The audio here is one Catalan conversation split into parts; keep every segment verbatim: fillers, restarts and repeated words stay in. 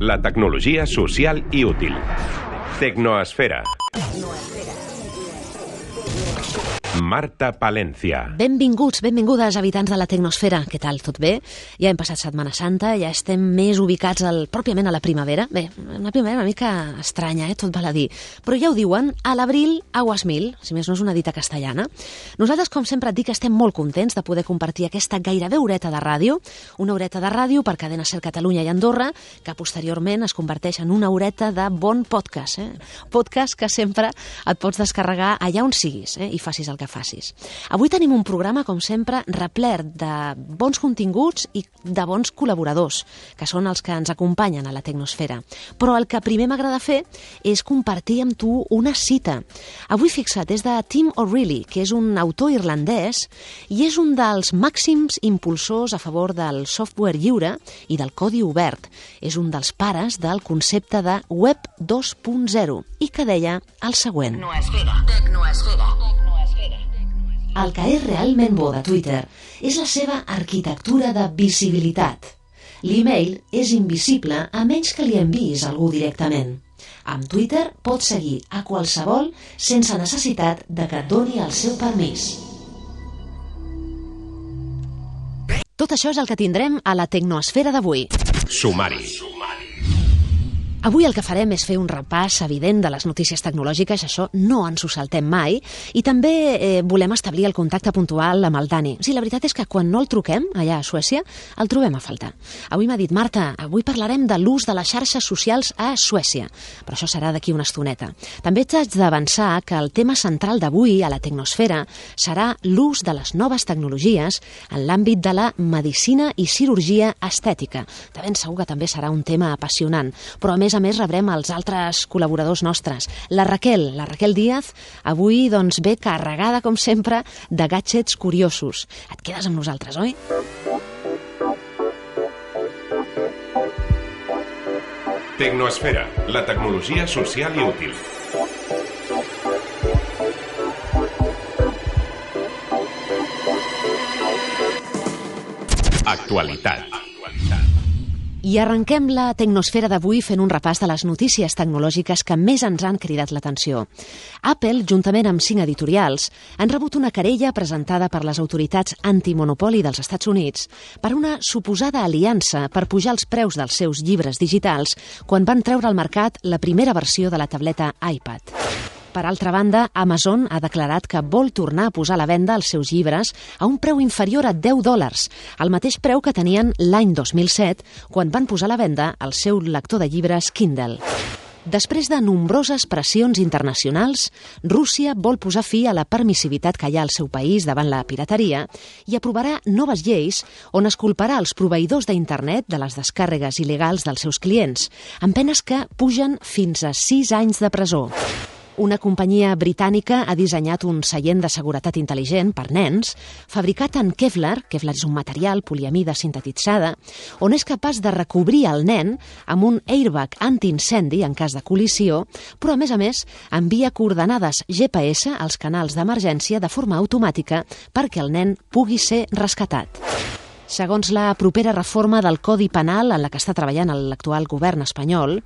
La tecnologia social i útil. Tecnoesfera. Marta Palencia. Benvinguts, benvingudes, habitants de la Tecnosfera. Què tal, tot bé? Ja hem passat Setmana Santa, ja estem més ubicats al, pròpiament a la primavera. Bé, una primavera una mica estranya, eh? Tot val a dir. Però ja ho diuen, a l'abril, aguas mil, si més no és una dita castellana. Nosaltres, com sempre et dic, estem molt contents de poder compartir aquesta gairebé horeta de ràdio, una horeta de ràdio per Cadena Ser Catalunya i Andorra, que posteriorment es converteix en una horeta de bon podcast. Eh? Podcast que sempre et pots descarregar allà on siguis, eh? I facis el que facis. Avui tenim un programa, com sempre, replert de bons continguts i de bons col·laboradors, que són els que ens acompanyen a la Tecnosfera. Però el que primer m'agrada fer és compartir amb tu una cita. Avui, fixa't, és de Tim O'Reilly, que és un autor irlandès i és un dels màxims impulsors a favor del software lliure i del codi obert. És un dels pares del concepte de Web dos punt zero i que deia el següent. Tecnoesfera, tecnoesfera. El que és realment bo de Twitter és la seva arquitectura de visibilitat. L'email és invisible a menys que li enviïs algú directament. Amb Twitter pots seguir a qualsevol sense necessitat de que et doni el seu permís. Tot això és el que tindrem a la Tecnoesfera d'avui. Sumari. Avui el que farem és fer un repàs evident de les notícies tecnològiques, això no ens ho saltem mai, i també eh, volem establir el contacte puntual amb el Dani. Sí, la veritat és que quan no el truquem, allà a Suècia, el trobem a faltar. Avui m'ha dit, Marta, avui parlarem de l'ús de les xarxes socials a Suècia, però això serà d'aquí una estoneta. També t'haig d'avançar que el tema central d'avui a la Tecnosfera serà l'ús de les noves tecnologies en l'àmbit de la medicina i cirurgia estètica. De ben segur que també serà un tema apassionant, però a més a més rebrem els altres col·laboradors nostres. La Raquel, la Raquel Díaz, avui doncs ve carregada, com sempre, de gadgets curiosos. Et quedes amb nosaltres, oi? Tecnoesfera, la tecnologia social i útil. Actualitat. I arrenquem la Tecnosfera d'avui fent un repàs de les notícies tecnològiques que més ens han cridat l'atenció. Apple, juntament amb cinc editorials, han rebut una querella presentada per les autoritats antimonopoli dels Estats Units per una suposada aliança per pujar els preus dels seus llibres digitals quan van treure al mercat la primera versió de la tableta iPad. Per altra banda, Amazon ha declarat que vol tornar a posar a la venda els seus llibres a un preu inferior a deu dòlars, el mateix preu que tenien l'any dos mil set, quan van posar a la venda el seu lector de llibres Kindle. Després de nombroses pressions internacionals, Rússia vol posar fi a la permissivitat que hi ha al seu país davant la pirateria i aprovarà noves lleis on es culparà els proveïdors d'internet de les descàrregues il·legals dels seus clients, amb penes que pugen fins a sis anys de presó. Una companyia britànica ha dissenyat un seient de seguretat intel·ligent per nens, fabricat en Kevlar, Kevlar és un material poliamida sintetitzada, on és capaç de recobrir el nen amb un airbag antiincendi en cas de col·lisió, però a més a més envia coordenades G P S als canals d'emergència de forma automàtica perquè el nen pugui ser rescatat. Segons la propera reforma del Codi Penal en la que està treballant l'actual govern espanyol,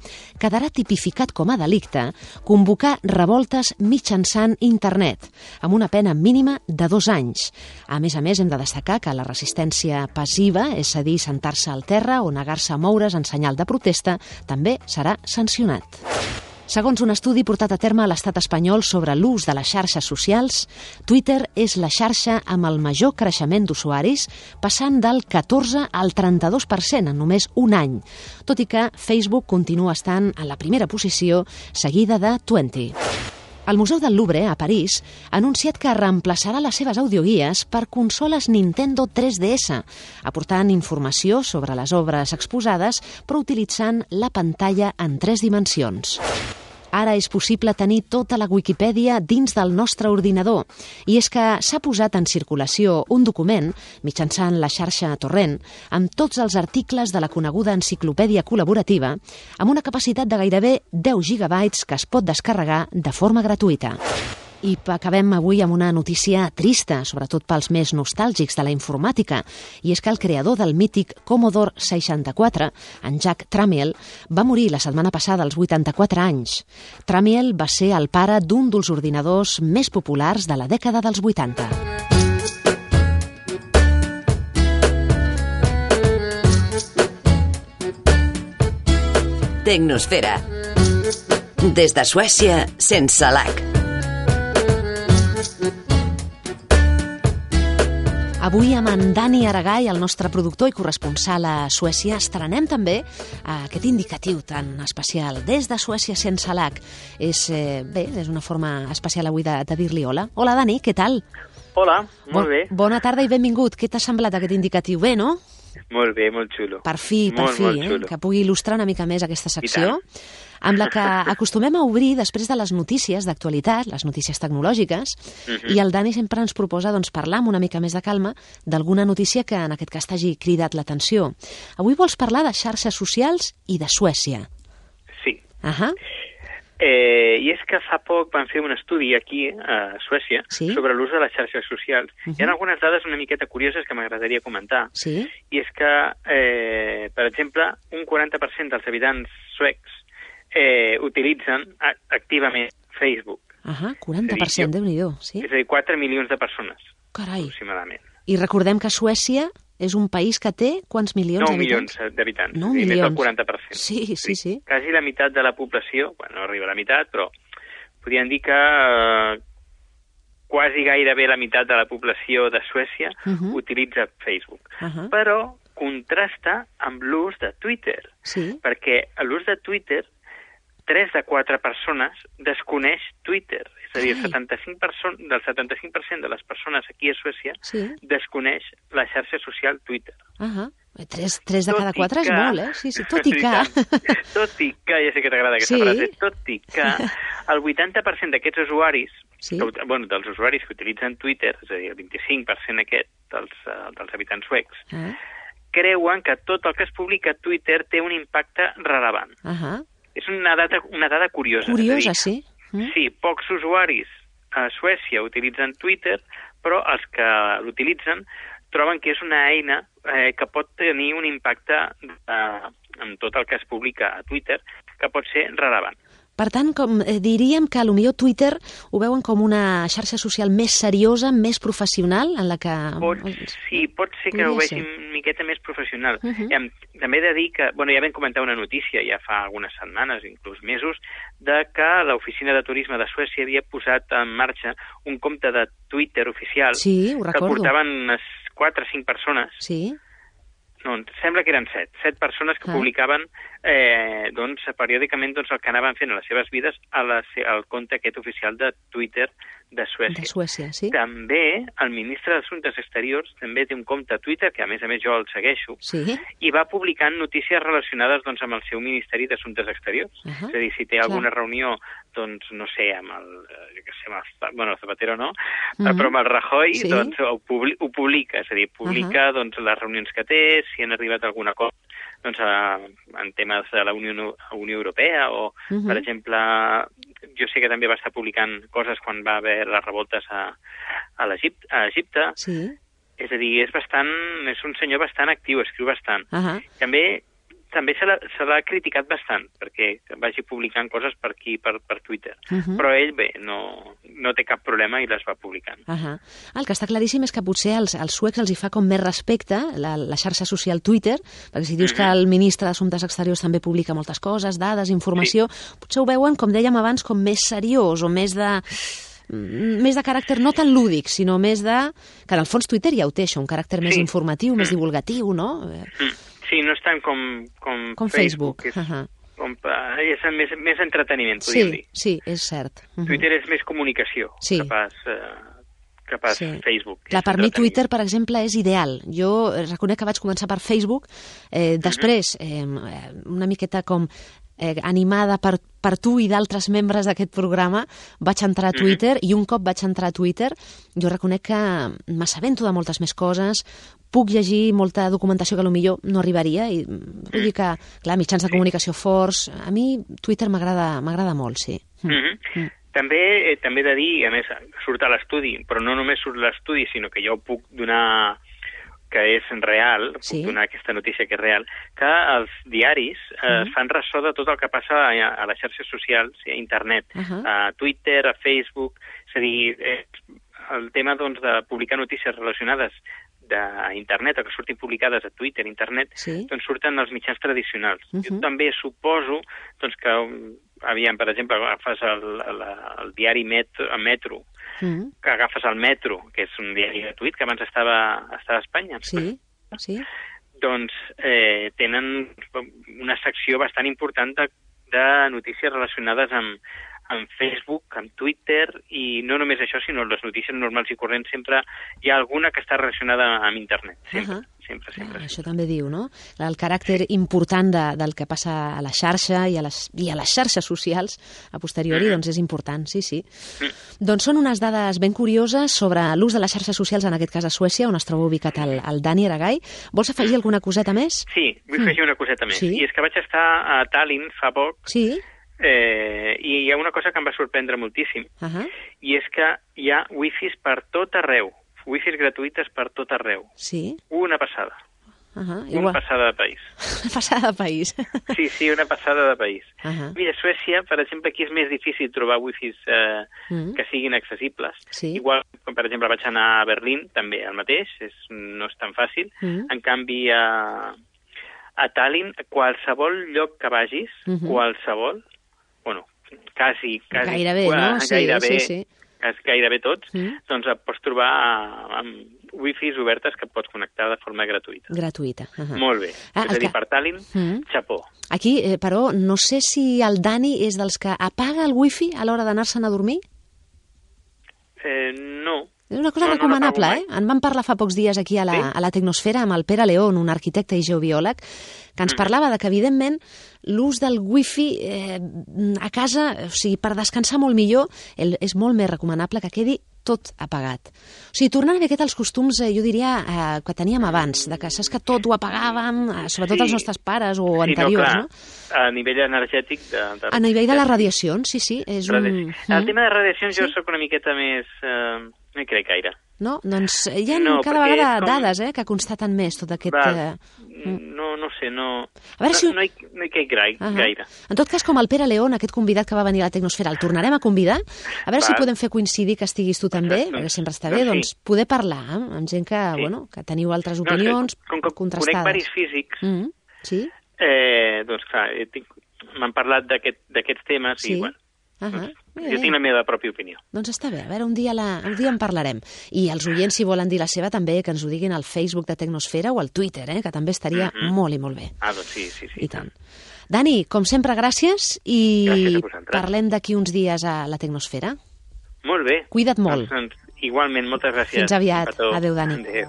quedarà tipificat com a delicte convocar revoltes mitjançant internet, amb una pena mínima de dos anys. A més a més, hem de destacar que la resistència passiva, és a dir, sentar-se al terra o negar-se a moure's en senyal de protesta, també serà sancionat. Segons un estudi portat a terme a l'estat espanyol sobre l'ús de les xarxes socials, Twitter és la xarxa amb el major creixement d'usuaris, passant del catorze al trenta-dos per cent en només un any, tot i que Facebook continua estant en la primera posició, seguida de Twenty. El Museu del Louvre, a París, ha anunciat que reemplaçarà les seves audioguies per consoles Nintendo tres D S, aportant informació sobre les obres exposades, però utilitzant la pantalla en tres dimensions. Ara és possible tenir tota la Wikipedia dins del nostre ordinador, i és que s'ha posat en circulació un document, mitjançant la xarxa Torrent, amb tots els articles de la coneguda enciclopèdia col·laborativa, amb una capacitat de gairebé deu gigabytes que es pot descarregar de forma gratuïta. I acabem avui amb una notícia trista, sobretot pels més nostàlgics de la informàtica, i és que el creador del mític Commodore seixanta-quatre, en Jack Tramiel, va morir la setmana passada als vuitanta-quatre anys. Tramiel va ser el pare d'un dels ordinadors més populars de la dècada dels vuitanta. Tecnosfera. Des de Suècia, sense lac. Avui amb en Dani Aragai, el nostre productor i corresponsal a Suècia, estrenem també aquest indicatiu tan especial, des de Suècia sense lac. És, eh, bé, és una forma especial avui de, de dir-li hola. Hola, Dani, què tal? Hola, molt bon, bé. Bona tarda i benvingut. Què t'ha semblat aquest indicatiu? Bé, no? Molt bé, molt xulo. Per fi, per molt, fi, molt eh? Que pugui il·lustrar una mica més aquesta secció, amb la que acostumem a obrir després de les notícies d'actualitat, les notícies tecnològiques, uh-huh. i el Dani sempre ens proposa doncs, parlar amb una mica més de calma d'alguna notícia que en aquest cas t'hagi cridat l'atenció. Avui vols parlar de xarxes socials i de Suècia. Sí. Uh-huh. Eh, I és que fa poc van fer un estudi aquí a Suècia sí? sobre l'ús de les xarxes socials. Uh-huh. Hi ha algunes dades una miqueta curioses que m'agradaria comentar. Sí? I és que, eh, per exemple, un quaranta per cent dels habitants suecs eh, utilitzen activament Facebook. Ahà, quaranta per cent, Déu-n'hi-do, sí? És a dir, quatre milions de persones, Carai. aproximadament. I recordem que Suècia és un país que té quants milions d'habitants? nou milions d'habitants, nou i milions. més del quaranta per cent. Sí, sí, sí. Quasi la meitat de la població, bueno, no arriba a la meitat, però podríem dir que eh, quasi gairebé la meitat de la població de Suècia uh-huh. utilitza Facebook. Uh-huh. Però contrasta amb l'ús de Twitter, sí? perquè l'ús de Twitter, tres de quatre persones desconeix Twitter. És a dir, el setanta-cinc per cent, del setanta-cinc per cent de les persones aquí a Suècia sí? desconeix la xarxa social Twitter. Uh-huh. Tres, tres de tot cada quatre que... és molt, eh? Sí, sí, tot i que... Tot i que, ja sé que t'agrada aquesta sí? frase, tot i que el vuitanta per cent d'aquests usuaris, sí? que, bueno, dels usuaris que utilitzen Twitter, és a dir, el vint-i-cinc per cent aquest dels, uh, dels habitants suecs, uh-huh. creuen que tot el que es publica a Twitter té un impacte rellevant. Uh-huh. És una dada, una dada curiosa. Curiosa, dir, sí. Mm. Sí, pocs usuaris a Suècia utilitzen Twitter, però els que l'utilitzen troben que és una eina eh, que pot tenir un impacte eh, en tot el que es publica a Twitter, que pot ser rellevant. Per tant, com, eh, diríem que potser Twitter ho veuen com una xarxa social més seriosa, més professional, en la que... Pot, sí, pot ser que ho vegin una miqueta més professional. Uh-huh. Hem, també he de dir que, bueno, ja vam comentar una notícia ja fa algunes setmanes, inclús mesos, de que l'Oficina de Turisme de Suècia havia posat en marxa un compte de Twitter oficial sí, ho recordo. Que portaven unes quatre o cinc persones. Sí. No, sembla que eren set. Set persones que ah. publicaven eh, doncs, periòdicament doncs, el que anaven fent a les seves vides a la, al compte aquest oficial de Twitter de Suècia. De Suècia, sí. També el ministre d'Assumptes Exteriors també té un compte a Twitter, que a més a més jo el segueixo, sí? i va publicant notícies relacionades doncs, amb el seu Ministeri d'Assumptes Exteriors. Uh-huh. És a dir, si té alguna Clar. reunió, doncs, no sé, amb el, jo què sé, amb el, bueno, el Zapatero no, uh-huh. però amb el Rajoy, sí? doncs ho, publi, ho publica, és a dir, publica uh-huh. doncs, les reunions que té, si han arribat a alguna cosa doncs, en temes de la Unió, Unió Europea o, uh-huh. per exemple, jo sé que també va estar publicant coses quan va haver les revoltes a, a, l'Egipte, a Egipte. Sí. És a dir, és bastant, és un senyor bastant actiu, escriu bastant. Uh-huh. També també se l'ha, se l'ha criticat bastant perquè vagi publicant coses per aquí, per, per Twitter. Uh-huh. Però ell, bé, no, no té cap problema i les va publicant. Uh-huh. El que està claríssim és que potser als, als suecs els hi fa com més respecte la, la xarxa social Twitter, perquè si dius uh-huh. que el ministre d'Assumptes Exteriors també publica moltes coses, dades, informació, sí. potser ho veuen, com dèiem abans, com més seriós o més de... més de caràcter no tan lúdic, sinó més de... que en el fons Twitter ja ho té, això, un caràcter sí. més informatiu, mm. més divulgatiu, no? Mm. Sí, no és tant com, com, com Facebook. Facebook. És, uh-huh. com, és més, més entreteniment, podríem sí, dir. Sí, és cert. Uh-huh. Twitter és més comunicació, sí. que pas, eh, que pas sí. Facebook. Clar, per mi Twitter, per exemple, és ideal. Jo reconec que vaig començar per Facebook, eh, després eh, una miqueta com... Eh, animada per, per tu i d'altres membres d'aquest programa, vaig entrar a Twitter mm-hmm. i un cop vaig entrar a Twitter jo reconec que m'assabento de moltes més coses, puc llegir molta documentació que potser no arribaria i vull dir que, clar, mitjans de comunicació forts, a mi Twitter m'agrada m'agrada molt, sí. Mm-hmm. Mm. També eh, també he de dir, a més, surt a l'estudi, però no només surt a l'estudi, sinó que jo puc donar que és real, sí. puc donar aquesta notícia que és real, que els diaris eh, mm. fan ressò de tot el que passa a, a les xarxes socials, a internet, uh -huh. a Twitter, a Facebook, és a dir, eh, el tema doncs, de publicar notícies relacionades a internet, o que surtin publicades a Twitter, internet, sí. doncs surten els mitjans tradicionals. Uh -huh. Jo també suposo doncs, que, aviam, per exemple, agafes el, el, el diari Metro, Metro uh -huh. que agafes el Metro, que és un diari gratuït que abans estava, estava a Espanya. Sí, sí. Doncs eh, tenen una secció bastant important de, de notícies relacionades amb en Facebook, en Twitter, i no només això, sinó les notícies normals i corrents, sempre hi ha alguna que està relacionada amb internet, sempre, uh -huh. sempre, sempre. Ah, això també diu, no? El caràcter important de, del que passa a la xarxa i a les, i a les xarxes socials a posteriori, uh -huh. doncs és important, sí, sí. Uh -huh. Doncs són unes dades ben curioses sobre l'ús de les xarxes socials, en aquest cas a Suècia, on es troba ubicat el, el Dani Aragay. Vols afegir alguna coseta més? Sí, vull afegir una coseta més. Sí? I és que vaig estar a Tallinn fa poc, sí? Eh, i hi ha una cosa que em va sorprendre moltíssim, uh -huh. i és que hi ha wifis per tot arreu, wifis gratuïtes per tot arreu. Sí? Una passada. Uh -huh. Una Igual. passada de país. Una passada de país. Sí, sí, una passada de país. Uh -huh. Mira, a Suècia, per exemple, aquí és més difícil trobar wifis eh, uh -huh. que siguin accessibles. Sí. Igual, com per exemple, vaig anar a Berlín, també el mateix, és, no és tan fàcil. Uh -huh. En canvi, a, a Tallinn, qualsevol lloc que vagis, uh -huh. qualsevol, bueno, quasi, quasi gairebé, no? Sí, gairebé, sí, sí. gairebé tots, mm. doncs et pots trobar amb wifis obertes que et pots connectar de forma gratuïta. Gratuïta. Uh -huh. Molt bé. Ah, és a dir, que... per Tallinn, mm. xapó. Aquí, eh, però, no sé si el Dani és dels que apaga el wifi a l'hora d'anar-se'n a dormir? Eh, no. És una cosa no, recomanable, no eh? En vam parlar fa pocs dies aquí a la, sí? a la Tecnosfera amb el Pere León, un arquitecte i geobiòleg, que ens mm. parlava de que, evidentment, l'ús del wifi eh, a casa, o sigui, per descansar molt millor, el, és molt més recomanable que quedi tot apagat. O sigui, tornant una miqueta als costums, eh, jo diria, eh, que teníem abans, de que saps que tot ho apagàvem, eh, sobretot sí. els nostres pares o sí, anteriors, no? Clar. No? A nivell energètic... De, de... A nivell de les radiacions, sí, sí. És un... El tema de radiacions sí? jo sóc una miqueta més... Eh... No hi crec gaire. No? Doncs hi ha no, cada vegada com... dades eh, que constaten més tot aquest... Va, eh... No, no sé, no... A veure no, si... no, hi, no hi crec gaire. Uh -huh. gaire. En tot cas, com el Pere León, aquest convidat que va venir a la Tecnosfera, el tornarem a convidar. A veure Va. si podem fer coincidir que estiguis tu també, Exacte. perquè sempre està bé, doncs, doncs sí. poder parlar eh, amb gent que, sí. bueno, que teniu altres no, opinions com, com, contrastades. Conec varis físics, mm -hmm. sí? eh, doncs clar, m'han parlat d'aquests aquest, temes sí? i, bueno, Uh -huh. doncs, jo tinc la meva pròpia opinió. Doncs està bé, a veure, un dia, la, un dia en parlarem. I els oients, si volen dir la seva, també que ens ho diguin al Facebook de Tecnosfera o al Twitter, eh, que també estaria uh -huh. molt i molt bé. Ah, doncs sí, sí, sí. I tant. Dani, com sempre, gràcies i gràcies parlem d'aquí uns dies a la Tecnosfera. Molt bé. Cuida't molt. Doncs, igualment, moltes gràcies. Fins aviat. Adéu, Dani. Adéu.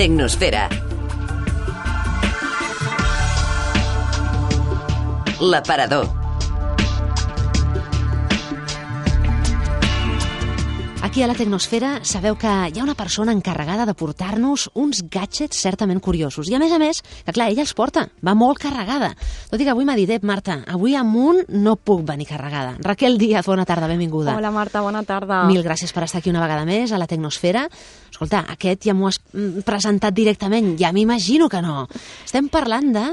Tecnosfera. L'aparador. Aquí a la Tecnosfera sabeu que hi ha una persona encarregada de portar-nos uns gadgets certament curiosos. I a més a més, que clar, ella els porta, va molt carregada. Tot i que avui m'ha dit, eh, Marta, avui amunt no puc venir carregada. Raquel Díaz, bona tarda, benvinguda. Hola Marta, bona tarda. Mil gràcies per estar aquí una vegada més a la Tecnosfera. Escolta, aquest ja m'ho has presentat directament, ja m'imagino que no. Estem parlant de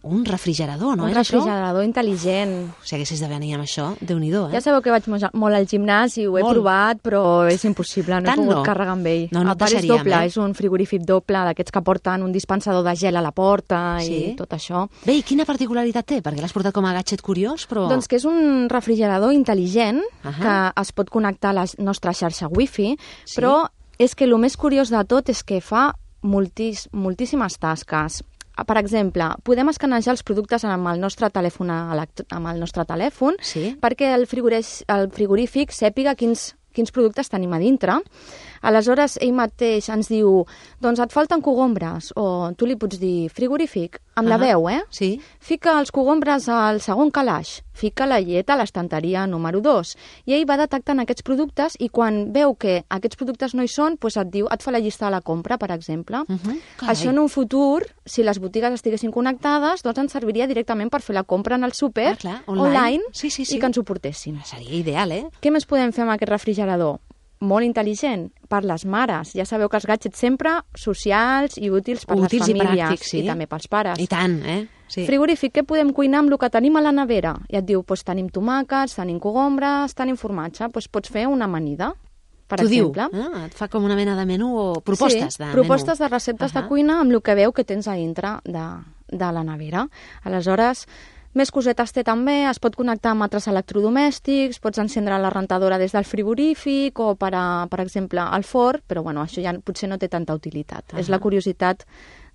un refrigerador, no un és refrigerador això? intel·ligent. Si haguessis de venir amb això, Déu-n'hi-do, eh? Ja sabeu que vaig molt al gimnàs i ho he molt. provat, però és impossible, no Tant he pogut no. carregar amb ell. No, no a part és deixaríem, doble, eh? és un frigorífic doble, d'aquests que porten un dispensador de gel a la porta sí? i tot això. Bé, i quina particularitat té? Perquè l'has portat com a gadget curiós, però... Doncs que és un refrigerador intel·ligent uh -huh. que es pot connectar a la nostra xarxa wifi, sí? però és que el més curiós de tot és que fa moltis, moltíssimes tasques. Per exemple, podem escanejar els productes amb el nostre telèfon, amb el nostre telèfon sí? perquè el, el frigorífic sàpiga quins, quins productes tenim a dintre. Aleshores, ell mateix ens diu, doncs et falten cogombres, o tu li pots dir frigorífic, amb uh -huh. la veu, eh? Sí. Fica els cogombres al segon calaix, fica la llet a l'estanteria número dos, i ell va detectant aquests productes i quan veu que aquests productes no hi són, doncs et diu, et fa la llista de la compra, per exemple. Uh -huh. Això en un futur, si les botigues estiguessin connectades, doncs ens serviria directament per fer la compra en el súper, ah, clar, online, online sí, sí, sí. i que ens ho portessin. Seria ideal, eh? Què més podem fer amb aquest refrigerador? Molt intel·ligent, per les mares. Ja sabeu que els gadgets sempre socials i útils per útils les famílies. I pràctics, sí. I també pels pares. I tant, eh? Sí. Frigorífic, què podem cuinar amb el que tenim a la nevera? I et diu, doncs tenim tomàquets, tenim cogombres, tenim formatge, doncs pots fer una amanida, per T'ho exemple. Diu, eh? Et fa com una mena de menú o propostes sí, de propostes menú. de receptes uh -huh. de cuina amb el que veu que tens a dintre de, de la nevera. Aleshores, més cosetes té també, es pot connectar amb altres electrodomèstics, pots encendre la rentadora des del frigorífic o, per, a, per exemple, al forn, però bueno, això ja potser no té tanta utilitat. Uh -huh. És la curiositat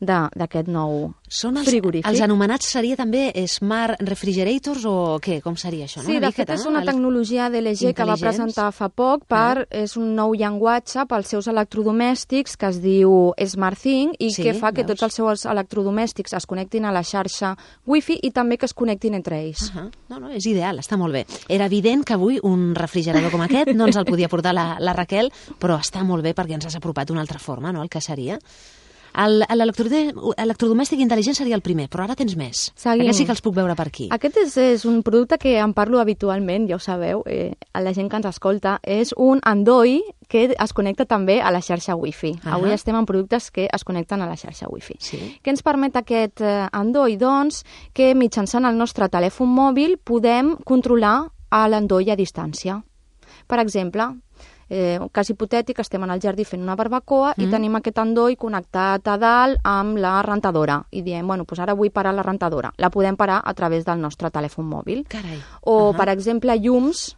d'aquest nou Són els, frigorífic. Els anomenats seria també Smart Refrigerators o què? Com seria això? No? Sí, una de miqueta, fet és no? una tecnologia d'L G que va presentar fa poc per, ah. és un nou llenguatge pels seus electrodomèstics que es diu SmartThing i sí, que fa que veus? Tots els seus electrodomèstics es connectin a la xarxa Wi-Fi i també que es connectin entre ells. Uh -huh. No, no, és ideal, està molt bé. Era evident que avui un refrigerador com aquest no ens el podia portar la, la Raquel, però està molt bé perquè ens has apropat d'una altra forma, no?, el que seria. L'electrodomèstic intel·ligent seria el primer, però ara tens més. Seguim. Aquest sí que els puc veure per aquí. Aquest és, és un producte que en parlo habitualment, ja ho sabeu, eh, a la gent que ens escolta. És un Andoi que es connecta també a la xarxa Wi-Fi. Uh -huh. Avui estem en productes que es connecten a la xarxa Wi-Fi. Sí. Què ens permet aquest eh, Andoi? Doncs que mitjançant el nostre telèfon mòbil podem controlar l'Andoi a distància. Per exemple, Eh, un cas hipotètic, estem en el jardí fent una barbacoa mm. i tenim aquest Andoi connectat a dalt amb la rentadora i diem, bueno, doncs ara vull parar la rentadora. La podem parar a través del nostre telèfon mòbil. Carai. O, uh -huh. per exemple, llums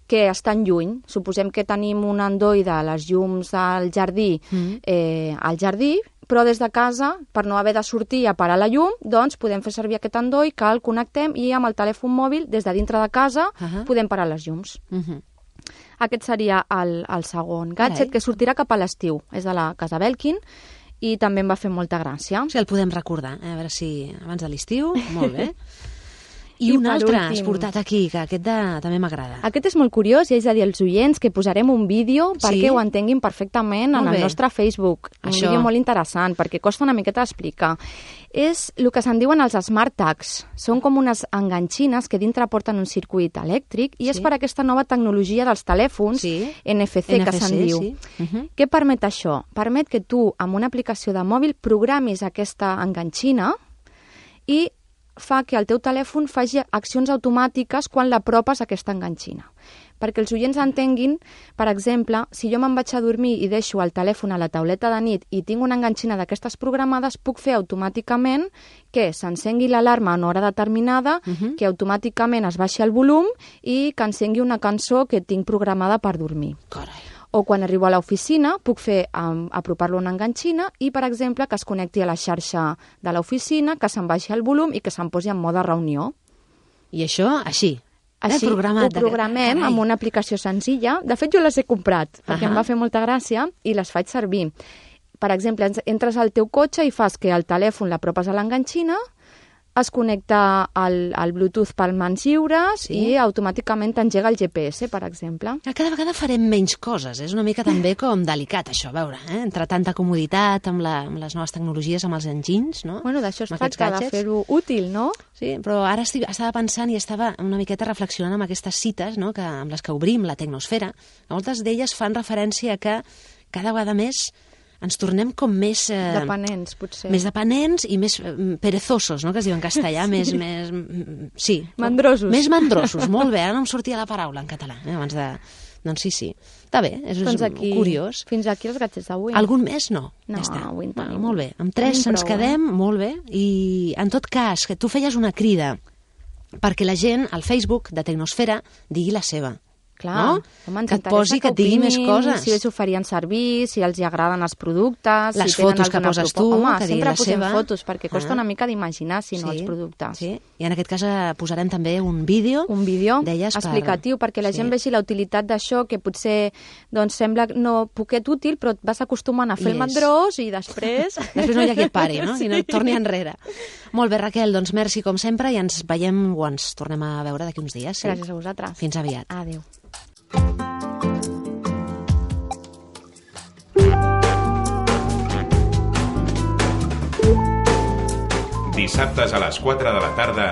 que estan lluny. Suposem que tenim un Andoi de les llums del jardí mm. eh, al jardí, però des de casa, per no haver de sortir a parar la llum, doncs podem fer servir aquest Andoi que el connectem i amb el telèfon mòbil, des de dintre de casa, uh -huh. podem parar les llums. Uh -huh. Aquest seria el, el segon gadget, Carai. Que sortirà cap a l'estiu. És de la casa Belkin i també em va fer molta gràcia. Sí, el podem recordar, eh? A veure si abans de l'estiu, molt bé. I, I un altre últim, has portat aquí, que aquest de, també m'agrada. Aquest és molt curiós i és a dir als oients que posarem un vídeo sí? perquè ho entenguin perfectament molt en bé. El nostre Facebook. Un Això. vídeo molt interessant, perquè costa una miqueta d'explicar. És el que se'n diuen els Smart Tags. Són com unes enganxines que dintre porten un circuit elèctric i sí? és per aquesta nova tecnologia dels telèfons sí? N F C, N F C que se'n diu. Sí. Uh-huh. Què permet això? Permet que tu, amb una aplicació de mòbil, programis aquesta enganxina i fa que el teu telèfon faci accions automàtiques quan l'apropes a aquesta enganxina. Perquè els oients entenguin, per exemple, si jo me'n vaig a dormir i deixo el telèfon a la tauleta de nit i tinc una enganxina d'aquestes programades, puc fer automàticament que s'encengui l'alarma a una hora determinada, uh-huh. que automàticament es baixi el volum i que encengui una cançó que tinc programada per dormir. Carai. O quan arribo a l'oficina puc fer um, apropar-lo a una enganxina i, per exemple, que es connecti a la xarxa de l'oficina, que se'n baixi el volum i que se'n posi en mode reunió. I això, així? Així, eh, ho programem amb una aplicació senzilla. De fet, jo les he comprat, perquè uh-huh. em va fer molta gràcia i les faig servir. Per exemple, entres al teu cotxe i fas que el telèfon l'apropes a l'enganxina, es connecta al, al Bluetooth per mans lliures sí? i automàticament t'engega el G P S, per exemple. Cada vegada farem menys coses. És una mica també com delicat, això, a veure, eh? Entre tanta comoditat amb, la, amb les noves tecnologies, amb els engines, no? Bueno, d'això es tracta, de fer-ho útil, no? Sí, però ara estic, estava pensant i estava una miqueta reflexionant amb aquestes cites, no?, que, amb les que obrim la tecnosfera. Moltes d'elles fan referència a que cada vegada més ens tornem com més... Eh, dependents, potser. Més dependents i més eh, perezosos, no?, que es diu en castellà, sí. més, més... Sí. Mandrosos. Més mandrosos, molt bé. Ara no em sortia la paraula en català, eh, abans de... Doncs sí, sí. Està bé, és, doncs és aquí, curiós. Fins aquí els gadgets d'avui. Algun més? No. No, ja està. avui en tenim. Bueno, molt bé. Amb tres ens prou, quedem, eh? molt bé. I, en tot cas, que tu feies una crida perquè la gent al Facebook de Tecnosfera digui la seva. Clar, no? Home, que et posi, que, que et digui més coses. Si ells ho farien servir, si els hi agraden els productes, les si tenen fotos que poses tu, Home, que sempre posem seva. fotos, perquè costa ah. una mica d'imaginar, si no, sí, els productes. Sí. I en aquest cas posarem també un vídeo, un vídeo deies, explicatiu, per... perquè la sí. gent vegi la utilitat d'això, que potser doncs, sembla no poquet útil, però et vas acostumant a fer el mandrós i després... després no hi ha qui et pari, no? I no et torni enrere. Molt bé, Raquel, doncs merci com sempre i ens veiem o ens tornem a veure d'aquí uns dies. Sí? Gràcies a vosaltres. Fins aviat. Adéu. Dissabtes a les quatre de la tarda,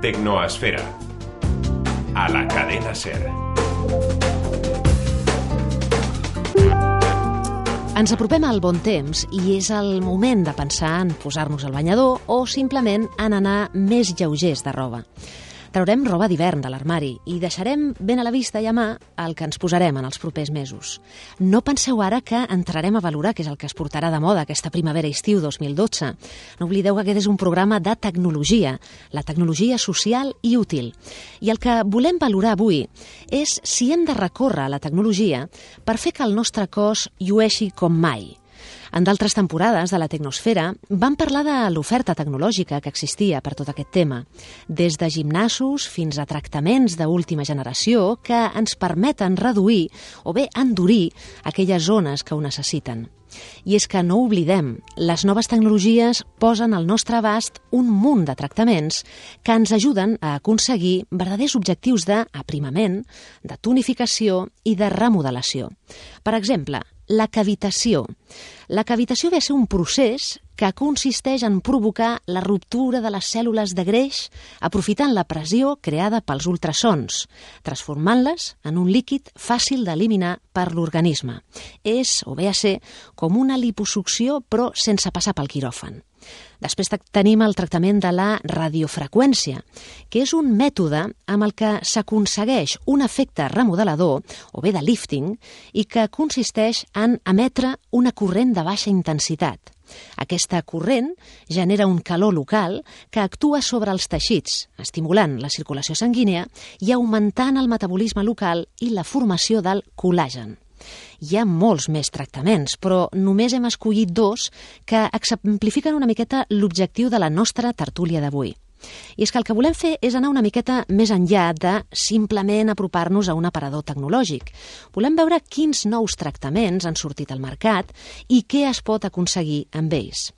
Tecnoesfera. A la cadena SER. Ens apropem al bon temps i és el moment de pensar en posar-nos al banyador o simplement en anar més lleugers de roba. Traurem roba d'hivern de l'armari i deixarem ben a la vista i a mà el que ens posarem en els propers mesos. No penseu ara que entrarem a valorar què és el que es portarà de moda aquesta primavera-estiu dos mil dotze. No oblideu que aquest és un programa de tecnologia, la tecnologia social i útil. I el que volem valorar avui és si hem de recórrer a la tecnologia per fer que el nostre cos llueixi com mai. En d'altres temporades de la Tecnosfera vam parlar de l'oferta tecnològica que existia per tot aquest tema, des de gimnasos fins a tractaments d'última generació que ens permeten reduir o bé endurir aquelles zones que ho necessiten. I és que no oblidem, les noves tecnologies posen al nostre abast un munt de tractaments que ens ajuden a aconseguir verdaders objectius d'aprimament, de tonificació i de remodelació. Per exemple, la cavitació. La cavitació ve a ser un procés que consisteix en provocar la ruptura de les cèl·lules de greix aprofitant la pressió creada pels ultrasons, transformant-les en un líquid fàcil d'eliminar per l'organisme. És, o ve a ser, com una liposucció però sense passar pel quiròfan. Després tenim el tractament de la radiofreqüència, que és un mètode amb el que s'aconsegueix un efecte remodelador, o bé de lifting, i que consisteix en emetre una corrent de baixa intensitat. Aquesta corrent genera un calor local que actua sobre els teixits, estimulant la circulació sanguínia i augmentant el metabolisme local i la formació del col·làgen. Hi ha molts més tractaments, però només hem escollit dos que exemplifiquen una miqueta l'objectiu de la nostra tertúlia d'avui. I és que el que volem fer és anar una miqueta més enllà de simplement apropar-nos a un aparador tecnològic. Volem veure quins nous tractaments han sortit al mercat i què es pot aconseguir amb ells.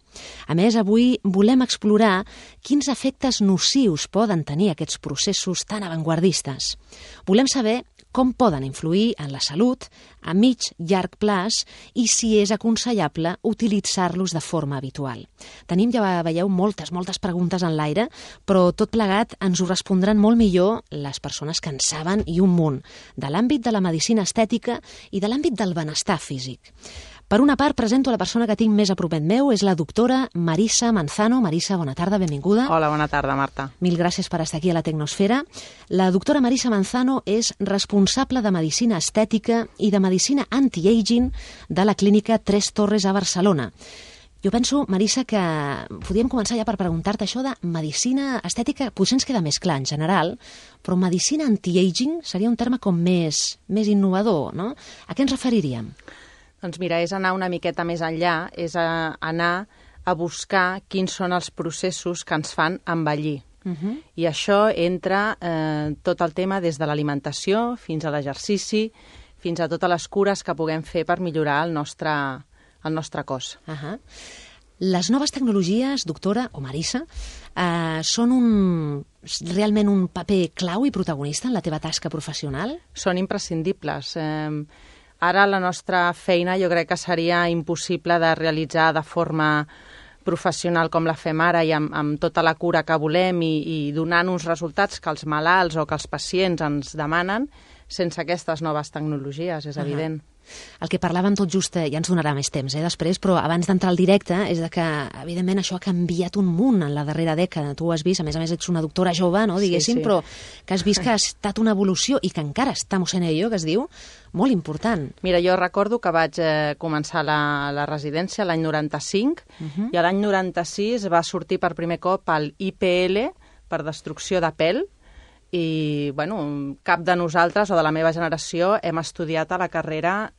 A més, avui volem explorar quins efectes nocius poden tenir aquests processos tan avantguardistes. Volem saber com poden influir en la salut a mig llarg plaç i si és aconsellable utilitzar-los de forma habitual. Tenim, ja veieu, moltes, moltes preguntes en l'aire, però tot plegat ens ho respondran molt millor les persones que en saben i un munt, de l'àmbit de la medicina estètica i de l'àmbit del benestar físic. Per una part, presento la persona que tinc més a propet meu, és la doctora Marisa Manzano. Marisa, bona tarda, benvinguda. Hola, bona tarda, Marta. Mil gràcies per estar aquí a la Tecnosfera. La doctora Marisa Manzano és responsable de Medicina Estètica i de Medicina Anti-Aging de la Clínica Tres Torres a Barcelona. Jo penso, Marisa, que podríem començar ja per preguntar-te això de medicina estètica, potser ens queda més clar en general, però medicina anti-aging seria un terme com més, més innovador, no? A què ens referiríem? Doncs mira, és anar una miqueta més enllà, és a anar a buscar quins són els processos que ens fan envellir. Uh-huh. I això entra eh, tot el tema des de l'alimentació fins a l'exercici, fins a totes les cures que puguem fer per millorar el nostre, el nostre cos. Uh-huh. Les noves tecnologies, doctora o Marisa, eh, són un, realment un paper clau i protagonista en la teva tasca professional? Són imprescindibles. Eh, Ara la nostra feina jo crec que seria impossible de realitzar de forma professional com la fem ara i amb, amb tota la cura que volem i, i donant uns resultats que els malalts o que els pacients ens demanen sense aquestes noves tecnologies, és uh-huh. evident. El que parlàvem tot just, ja ens donarà més temps eh, després, però abans d'entrar al directe, és de que, evidentment, això ha canviat un munt en la darrera dècada. Tu ho has vist, a més a més ets una doctora jove, no, diguéssim, sí, sí. Però que has vist que ha estat una evolució i que encara estamos en ello, que es diu, molt important. Mira, jo recordo que vaig eh, començar la, la residència l'any noranta-cinc uh-huh. i l'any noranta-sis va sortir per primer cop el I P L per destrucció de pèl i bueno, cap de nosaltres o de la meva generació hem estudiat a la carrera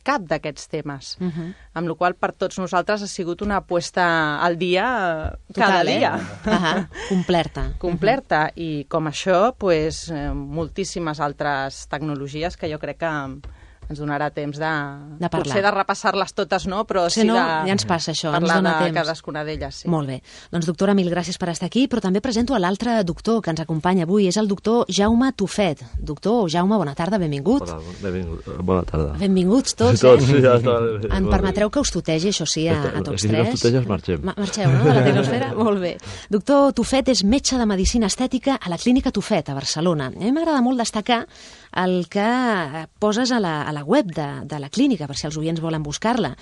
cap d'aquests temes, uh -huh. amb la qual cosa per tots nosaltres ha sigut una apuesta al dia cada Total, dia. Eh? Uh -huh. Complerta. Complerta, uh -huh. i com això, pues, moltíssimes altres tecnologies que jo crec que ens donarà temps de, de potser de repassar-les totes, no? Però sí, sí no, de ja ens passa això, ens parlar dona de temps. cadascuna d'elles. Sí. Molt bé. Doncs, doctora, mil gràcies per estar aquí, però també presento a l'altre doctor que ens acompanya avui, és el doctor Jaume Tufet. Doctor Jaume, bona tarda, benvingut. Hola, benvingut. Bona tarda. Benvinguts tots, tots eh? sí, ja està. Em permetreu que us tutegi, això sí, a, a tots si tres? Si no tuteges, marxem. Ma marxeu, no?, de la tecnosfera? Molt bé. Doctor Tufet és metge de medicina estètica a la Clínica Tufet, a Barcelona. A mi m'agrada molt destacar el que poses a la, a la web de, de la clínica, per si els oients volen buscar-la.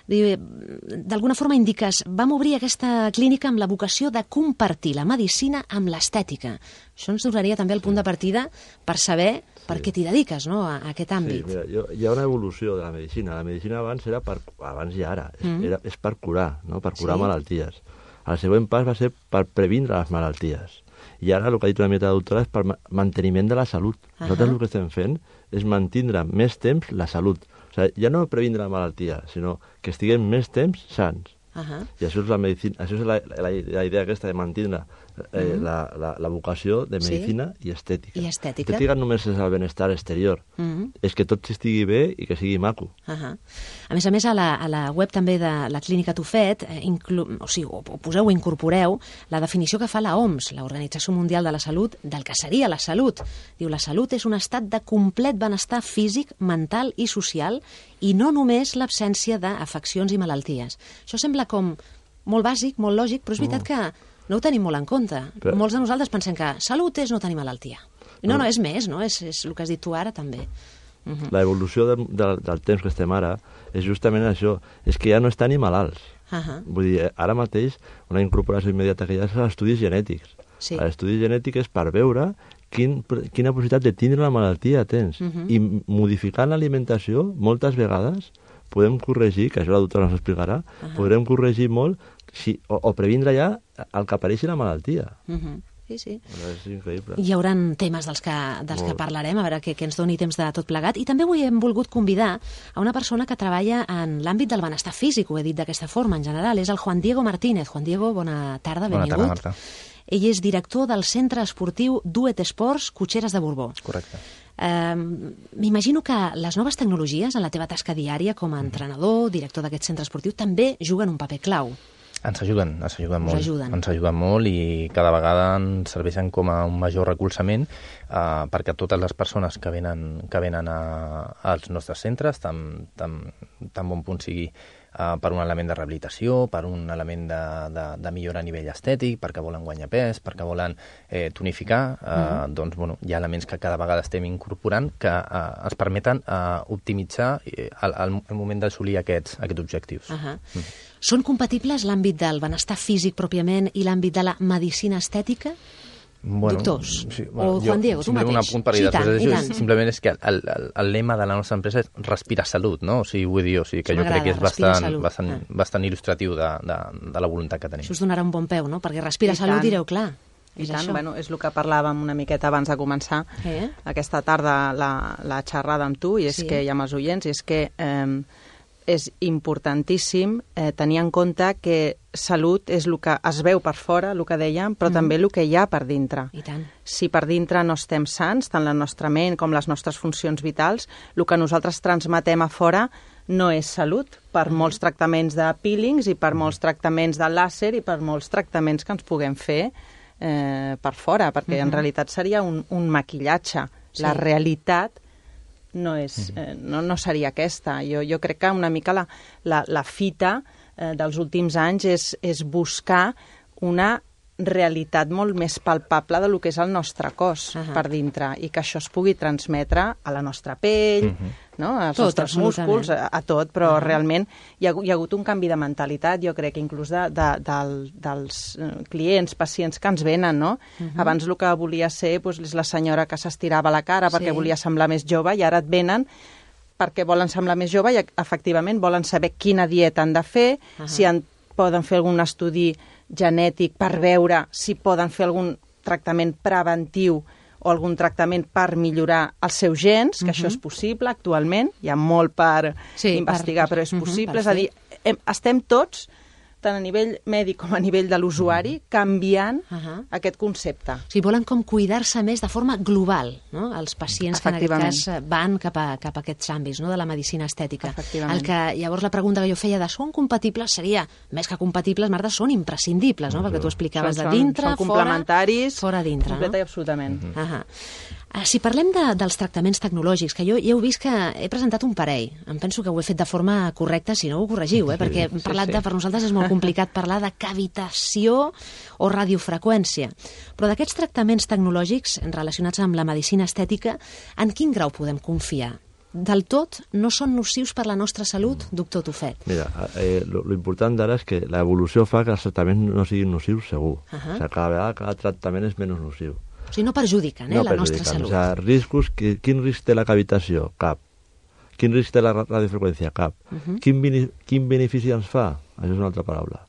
D'alguna forma indiques, vam obrir aquesta clínica amb la vocació de compartir la medicina amb l'estètica. Això ens donaria també el punt de partida per saber per què t'hi dediques, no?, a, a aquest àmbit. Sí, mira, jo, hi ha una evolució de la medicina. La medicina abans era per, abans i ara, mm. era, és per curar, no?, per curar sí. malalties. El següent pas va ser per previndre les malalties. I ara el que ha dit una mica la doctora és per manteniment de la salut. Uh -huh. Nosaltres el que estem fent és mantindre més temps la salut. O sigui, ja no previndre la malaltia, sinó que estiguem més temps sants. Uh -huh. I això és la medicina, això és la, la, la idea aquesta de mantindre eh, uh -huh. la, la, la vocació de medicina sí. i estètica. I estètica. Estètica només és el benestar exterior, uh -huh. és que tot estigui bé i que sigui maco. Uh -huh. A més a més, a la, a la web també de la Clínica Tufet, eh, inclu... o sigui, o poseu o incorporeu la definició que fa la O M S, l'Organització Mundial de la Salut, del que seria la salut. Diu, la salut és un estat de complet benestar físic, mental i social, i no només l'absència d'afeccions i malalties. Això sembla com molt bàsic, molt lògic, però és veritat que no ho tenim molt en compte. Però... Molts de nosaltres pensem que salut és no tenir malaltia. I no, no, no, és més, no? És, és el que has dit tu ara, també. Uh -huh. La evolució de, de, del temps que estem ara és justament això, és que ja no estan ni malalts. Uh -huh. Vull dir, ara mateix una incorporació immediata que hi ha és als estudis genètics. Sí. L'estudi genètic és per veure quin, quina possibilitat de tindre la malaltia tens. Uh -huh. I modificant l'alimentació, moltes vegades, podem corregir, que això la doctora ens explicarà, uh -huh. podrem corregir molt si, o, o previndre ja el que apareixi la malaltia. Uh -huh. Sí, sí. És increïble. Hi haurà temes dels que, dels que parlarem, a veure que, que ens doni temps de tot plegat. I també avui hem volgut convidar a una persona que treballa en l'àmbit del benestar físic, ho he dit d'aquesta forma en general, és el Juan Diego Martínez. Juan Diego, bona tarda, benvingut. Bona tarda, Marta. Ell és director del centre esportiu Duet Esports Cotxeres de Borbó. Correcte. Uh, M'imagino que les noves tecnologies en la teva tasca diària com a entrenador, director d'aquest centre esportiu, també juguen un paper clau. Ens ajuden, ens ajuden molt. Ajuden. Ens ajuden molt i cada vegada ens serveixen com a un major recolzament eh, perquè totes les persones que venen, que venen a, als nostres centres, tan, tan, tan bon punt sigui Uh, per un element de rehabilitació, per un element de, de, de millora a nivell estètic, perquè volen guanyar pes, perquè volen eh, tonificar, uh, mm. doncs bueno, hi ha elements que cada vegada estem incorporant que uh, ens permeten uh, optimitzar eh, el, el, el moment d'assolir aquests, aquests objectius. Uh -huh. mm. Són compatibles l'àmbit del benestar físic pròpiament i l'àmbit de la medicina estètica? Bueno, doctors, sí, bueno, o Juan Diego, tu mateix. Un apunt per sí, després tant, d'això, simplement és que el, el, el lema de la nostra empresa és respira salut, no? O sigui, vull dir, o sigui, que jo crec que és bastant, bastant, ah. bastant il·lustratiu de, de, de la voluntat que tenim. Això us donarà un bon peu, no? Perquè respira I salut, tant. direu, clar. I és tant, això. Bueno, és el que parlàvem una miqueta abans de començar eh? aquesta tarda la, la xerrada amb tu, i és sí. que hi ha amb els oients, i és que eh, és importantíssim eh, tenir en compte que salut és el que es veu per fora, el que dèiem, però mm. també el que hi ha per dintre. I tant. Si per dintre no estem sants, tant la nostra ment com les nostres funcions vitals, el que nosaltres transmetem a fora no és salut, per molts tractaments de peelings i per molts tractaments de làser i per molts tractaments que ens puguem fer eh, per fora, perquè mm-hmm. en realitat seria un, un maquillatge. Sí. La realitat no, és, eh, no, no seria aquesta. Jo, jo crec que una mica la, la, la fita eh, dels últims anys és, és buscar una realitat molt més palpable de lo que és el nostre cos uh -huh. per dintre, i que això es pugui transmetre a la nostra pell, uh -huh. no? als tot, nostres músculs, a, a tot, però uh -huh. realment hi ha, hi ha hagut un canvi de mentalitat, jo crec, inclús de, de, de, dels clients, pacients que ens venen, no? Uh -huh. Abans el que volia ser doncs, és la senyora que s'estirava la cara perquè sí. volia semblar més jove, i ara et venen perquè volen semblar més jove i efectivament volen saber quina dieta han de fer, uh -huh. si en, poden fer algun estudi genètic per veure si poden fer algun tractament preventiu o algun tractament per millorar els seus gens, que uh-huh. això és possible actualment, hi ha molt per sí, investigar, per, però és possible, uh-huh, és a dir, hem, estem tots, tant a nivell mèdic com a nivell de l'usuari, canviant uh-huh. aquest concepte. O sigui, volen com cuidar-se més de forma global, no? Els pacients que en aquest cas van cap a, cap a aquests àmbits, no? De la medicina estètica. El que, llavors, la pregunta que jo feia de són compatibles seria, més que compatibles, Marta, són imprescindibles, no? Perquè tu explicaves són, de dintre, són complementaris, fora, fora dintre, completa no? i absolutament. Uh -huh. Si parlem de, dels tractaments tecnològics, que jo ja heu vist que he presentat un parell, em penso que ho he fet de forma correcta, si no ho corregiu, eh? Perquè hem parlat de, per nosaltres és molt complicat parlar de cavitació o radiofreqüència. Però d'aquests tractaments tecnològics relacionats amb la medicina estètica, en quin grau podem confiar? Del tot no són nocius per la nostra salut, doctor Tufet? Mira, eh, lo, lo important d'ara és que l'evolució fa que els tractaments no siguin nocius segur. Uh -huh. O sigui, cada vegada cada tractament és menys nociu. O sigui, no perjudiquen, eh, no la perjudiquen. Nostra salut. O sigui, riscos, que, quin risc té la cavitació? Cap. Quin risc té la radiofreqüència? Cap. Uh -huh. quin, quin benefici ens fa? Això és una altra paraula.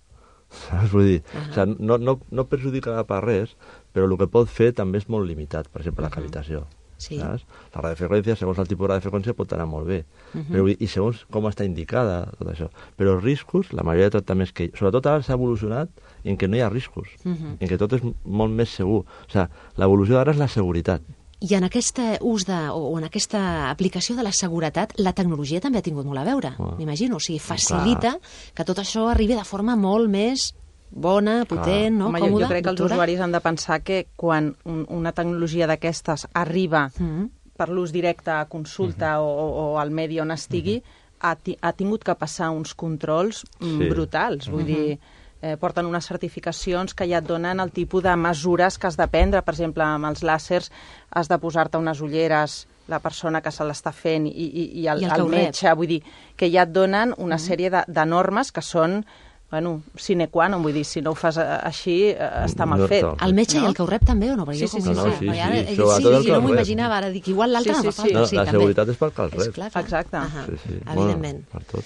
Saps? Vull dir, uh -huh. o sigui, no, no, no perjudica per res, però el que pot fer també és molt limitat, per exemple, uh -huh. la cavitació. Sí. Saps? La radiofreqüència, segons el tipus de radiofreqüència, pot anar molt bé. Uh -huh. però, I segons com està indicada, tot això. Però els riscos, la majoria de tractaments que... Sobretot ara s'ha evolucionat en què no hi ha riscos, uh -huh. en què tot és molt més segur. O sigui, l'evolució d'ara és la seguretat. I en aquest ús de, o en aquesta aplicació de la seguretat, la tecnologia també ha tingut molt a veure, oh. m'imagino. O sigui, facilita clar. Que tot això arribi de forma molt més bona, potent, no? Home, còmoda. Jo crec que els usuaris han de pensar que quan un, una tecnologia d'aquestes arriba mm. per l'ús directe a consulta mm -hmm. o, o al medi on estigui, mm -hmm. ha, ti, ha tingut que passar uns controls sí. brutals. Vull mm -hmm. dir, eh, porten unes certificacions que ja et donen el tipus de mesures que has de prendre. Per exemple, amb els làsers has de posar-te unes ulleres la persona que se l'està fent i, i, i el, I el, el metge. Vull dir, que ja et donen una mm -hmm. sèrie de, de normes que són bueno, sine qua non, vull dir, si no ho fas així, està mal fet. El metge no? I el que ho rep també, o no? Sí, sí, sí. No, no, sí, sí, ara, sí, sí, sí, sí no m'ho imaginava, ara dic, igual l'altre sí, no sí, fa sí. No, sí, la també. seguretat és pel que el rep. Clar, clar. Exacte. Uh -huh. sí, sí. Evidentment. Bueno, per tot.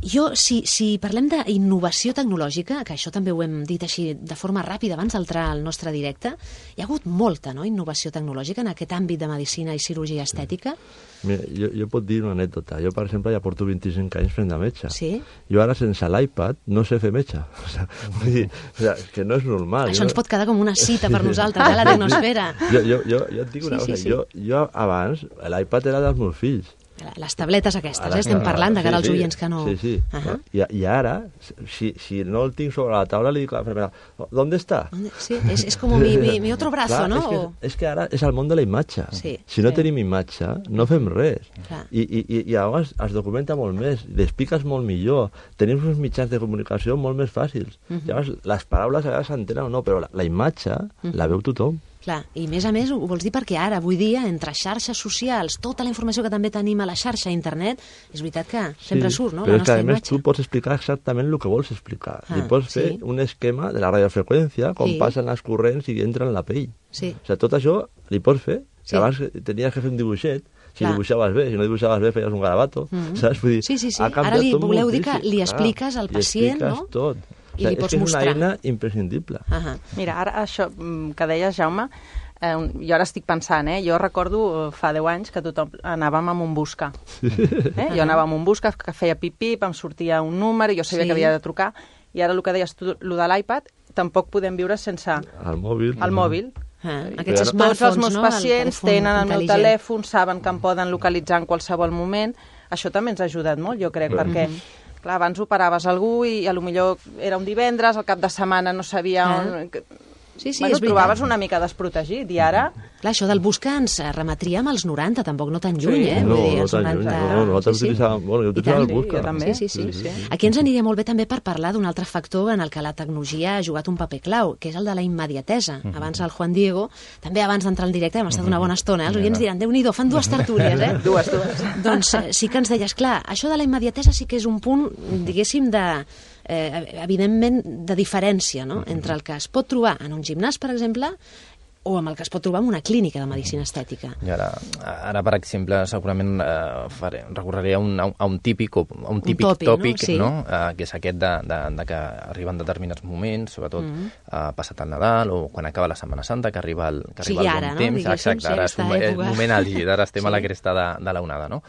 Jo, si, si parlem d'innovació tecnològica, que això també ho hem dit així de forma ràpida abans d'entrar al nostre directe, hi ha hagut molta no, innovació tecnològica en aquest àmbit de medicina i cirurgia estètica. Mira, jo, jo puc dir una anècdota. Jo, per exemple, ja porto vint-i-cinc anys fent de metge. Sí? Jo ara, sense l'iPad, no sé fer metge. O sigui, vull dir, o sigui, que no és normal. Això jo... ens pot quedar com una cita per nosaltres, eh, la tecnosfera. Jo, jo, jo, jo et dic una sí, cosa. Sí, sí. Jo, jo abans, l'iPad era dels meus fills. Les tabletes aquestes, eh? Estem parlant de cara als sí, sí. oients que no... Sí, sí. Uh -huh. I, I ara, si, si no el tinc sobre la taula, li dic a la enfermera, ¿dónde está? Sí, és, és com mi, mi, mi otro brazo, clar, no? És que, o... és que ara és el món de la imatge. Sí, si no sí. tenim imatge, no fem res. Clar. I, i, I llavors es documenta molt més, l'expliques molt millor, tenim uns mitjans de comunicació molt més fàcils. Uh -huh. Llavors, les paraules a vegades s'entenen o no, però la, la imatge uh -huh. la veu tothom. Clar, i més a més ho vols dir perquè ara, avui dia, entre xarxes socials, tota la informació que també tenim a la xarxa a internet, és veritat que sempre sí, surt, no?, però la és que, nostra a més, imatge. tu pots explicar exactament el que vols explicar. Ah, I pots fer sí. un esquema de la radiofreqüència, com sí. passen les corrents i entren en la pell. Sí. O sigui, tot això li pots fer. Sí. Abans tenies que fer un dibuixet, si Clar. dibuixaves bé, si no dibuixaves bé feies un garabato, mm -hmm. saps? Vull dir, sí, sí, sí. ha canviat ara li tot voleu moltíssim. dir que li expliques al pacient, li no? tot. I li o sigui, pots és que mostrar. és una eina imprescindible. Uh -huh. Mira, ara això que deies, Jaume, eh, jo ara estic pensant, eh, jo recordo fa deu anys que tothom anàvem amb un busca. Eh? Jo anava amb un busca, que feia pip-pip, em sortia un número, jo sabia sí. que havia de trucar, i ara el que deies tu, el de l'iPad, tampoc podem viure sense el mòbil. El mòbil. Ah, aquests Tots els meus no? pacients el tenen el meu telèfon, saben que em poden localitzar en qualsevol moment. Això també ens ha ajudat molt, jo crec, clar. perquè clar, abans operaves algú i a lo millor era un divendres, al cap de setmana no sabia ah. on... Sí, sí, bueno, és trobaves una mica desprotegit, i ara... Clar, això del busca ens remetria amb els noranta, tampoc no tan lluny, sí. eh? No, Vull dir, no tan noranta... lluny, no, no, nosaltres sí, sí. utilitzàvem, bueno, jo utilitzava el busca. també. Sí, sí, sí. sí, sí. Aquí ens aniria molt bé també per parlar d'un altre factor en el que la tecnologia ha jugat un paper clau, que és el de la immediatesa. Uh -huh. Abans el Juan Diego, també abans d'entrar al directe, hem estat uh -huh. una bona estona, eh? Els oients diran, Déu-n'hi-do, fan dues tertúlies, eh? dues, dues. Doncs sí que ens deies, clar, això de la immediatesa sí que és un punt, diguéssim, de... Eh, evidentment de diferència, no?, entre el que es pot trobar en un gimnàs, per exemple, o amb el que es pot trobar en una clínica de medicina estètica. I ara, ara per exemple, segurament eh, faré, recorreré a un, a un típic, o, a un típic un tòpic, tòpic no? Sí. no? Eh, que és aquest de, de, de que arriben determinats moments, sobretot mm -hmm. eh, passat el Nadal o quan acaba la Setmana Santa, que arriba el, que arriba sí, el bon ara, temps. No? Exacte, ara és un és moment àlgid, ara estem sí. a la cresta de, de l'onada, no?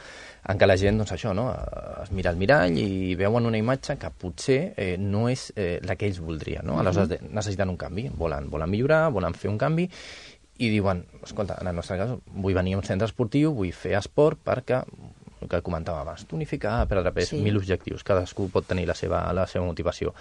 En què la gent, doncs això, no? es mira al mirall i veuen una imatge que potser eh, no és eh, la que ells voldrien, no? Aleshores necessiten un canvi, volen, volen millorar, volen fer un canvi, i diuen, escolta, en el nostre cas vull venir a un centre esportiu, vull fer esport perquè, el que comentava abans, tonificar, perdre pes, sí. mil objectius, cadascú pot tenir la seva, la seva motivació.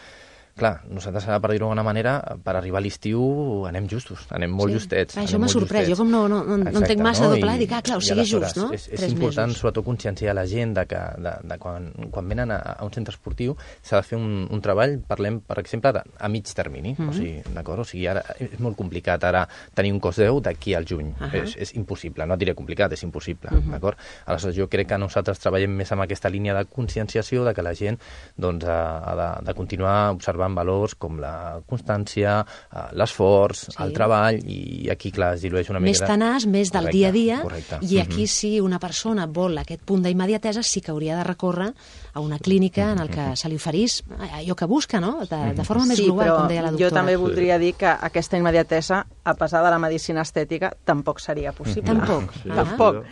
Clar, nosaltres, per dir-ho d'alguna manera, per arribar a l'estiu anem justos, anem molt sí. justets. Ah, això m'ha sorprès, jo com no, no, no, no entenc massa no? de pla, dic, ah, clar, o sigui just, no? És, és important, mesos. sobretot, conscienciar la gent de que de, de quan, quan venen a, a un centre esportiu s'ha de fer un, un treball, parlem, per exemple, de, a mig termini, mm -hmm. o sigui, d'acord? O sigui, ara és molt complicat ara tenir un cos deu d'aquí al juny, uh -huh. és, és impossible, no et diré complicat, és impossible, mm -hmm. d'acord? Aleshores, jo crec que nosaltres treballem més amb aquesta línia de conscienciació de que la gent doncs, ha, ha de, de continuar observant valors com la constància, l'esforç, sí. el treball, i aquí, clar, es dilueix una mica... Més tenaç, més del correcte, dia a dia, correcte. i aquí si una persona vol aquest punt d'immediatesa sí que hauria de recórrer a una clínica en el que se li oferís allò que busca, no? De, de forma més sí, global, com deia la doctora. Jo també voldria dir que aquesta immediatesa, a pesar de la medicina estètica, tampoc seria possible. Tampoc? Sí, tampoc.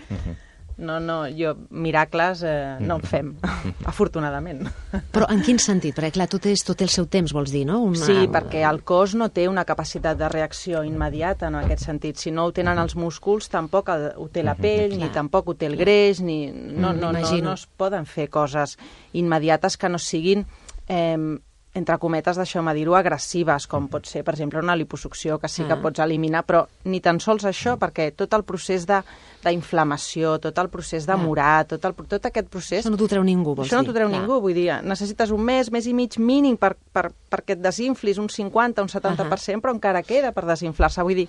No, no, jo, miracles eh, no en fem, afortunadament. Però en quin sentit? Perquè, clar, tot, és, tot té el seu temps, vols dir, no? Una... Sí, perquè el cos no té una capacitat de reacció immediata en aquest sentit. Si no ho tenen els músculs, tampoc el, ho té la pell, ni tampoc ho té el greix, ni... No, no, no, no es poden fer coses immediates que no siguin... Eh, entre cometes, deixeu-me dir-ho, agressives, com pot ser, per exemple, una liposucció, que sí que pots eliminar, però ni tan sols això, perquè tot el procés d'inflamació, tot el procés de morar, tot, el, tot aquest procés... Això no t'ho treu ningú, vols dir? Això no t'ho treu ningú, vull dir, necessites un mes, mes i mig mínim per, per, perquè et desinflis un cinquanta, un setanta per cent, però encara queda per desinflar-se, vull dir...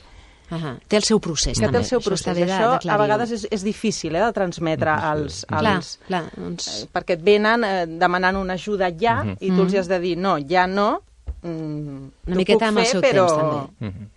Uh -huh. Té el seu procés, que també. Té el seu procés. Això, això a vegades és, és difícil eh, de transmetre als... als clar, clar, doncs... eh, perquè et venen eh, demanant una ajuda ja, uh -huh. i tu els has de dir, no, ja no, mm, una miqueta amb el seu però... temps, també. Uh -huh.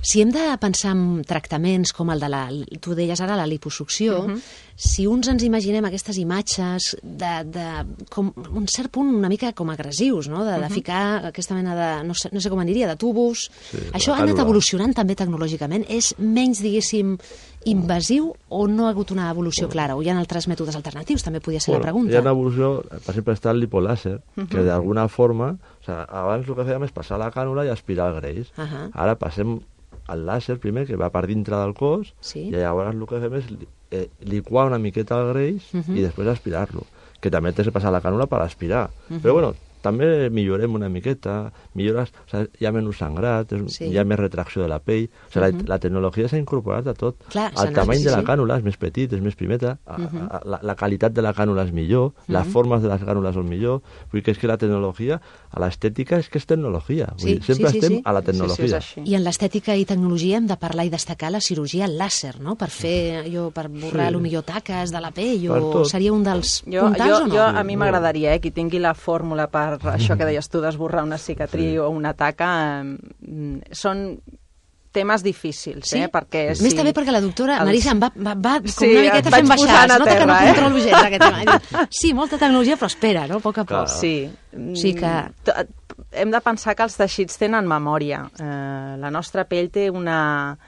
Si hem de pensar en tractaments com el de la... Tu deies ara la liposucció, uh -huh. si uns ens imaginem aquestes imatges de, de com un cert punt una mica com agressius, no? De, de uh -huh. ficar aquesta mena de... No sé, no sé com en diria, de tubos... Sí, això ha anat evolucionant també tecnològicament? És menys, diguéssim, invasiu o no ha hagut una evolució clara? O hi ha altres mètodes alternatius? També podia ser bueno, la pregunta. Hi ha una evolució, per exemple, està el lipolàser, uh -huh. que d'alguna forma... O sea, abans el que fèiem és passar la cànula i aspirar el greix. Uh -huh. Ara passem el làser primer, que va per dintre del cos, sí. i llavors el que fem és eh, liquar una miqueta el greix uh -huh. i després aspirar-lo, que també tens que passar la cànula per aspirar. Uh -huh. Però bueno, també millorem una miqueta, millores, o sigui, hi ha menys sangrat, sí. hi ha més retracció de la pell, o sigui, uh -huh. la, la tecnologia s'ha incorporat a tot. Clar, el tamany sí, de la cànula és més petit, és més primeta, uh -huh. la, la qualitat de la cànula és millor, uh -huh. les formes de les cànules són millor, vull dir que és que la tecnologia, a l'estètica és que és tecnologia, vull dir, sí, sempre sí, estem sí. a la tecnologia. Sí, sí, I en l'estètica i tecnologia hem de parlar i destacar la cirurgia làser, no?, per fer, allò, per borrar, sí. millor taques de la pell, o seria un dels jo, puntals jo, o no? Jo, a mi m'agradaria, eh, qui tingui la fórmula per això que deies tu d'esborrar una cicatriu sí. o una taca, eh, són temes difícils, sí? eh? Perquè... Sí, més també perquè la doctora els... Marisa em va, va, va com sí, una miqueta fent baixar, es nota terra, que no eh? controlo gens aquest tema. Sí, molta tecnologia, però espera, no?, a poc a poc. Sí. sí que... Hem de pensar que els teixits tenen memòria. Eh, la nostra pell té una...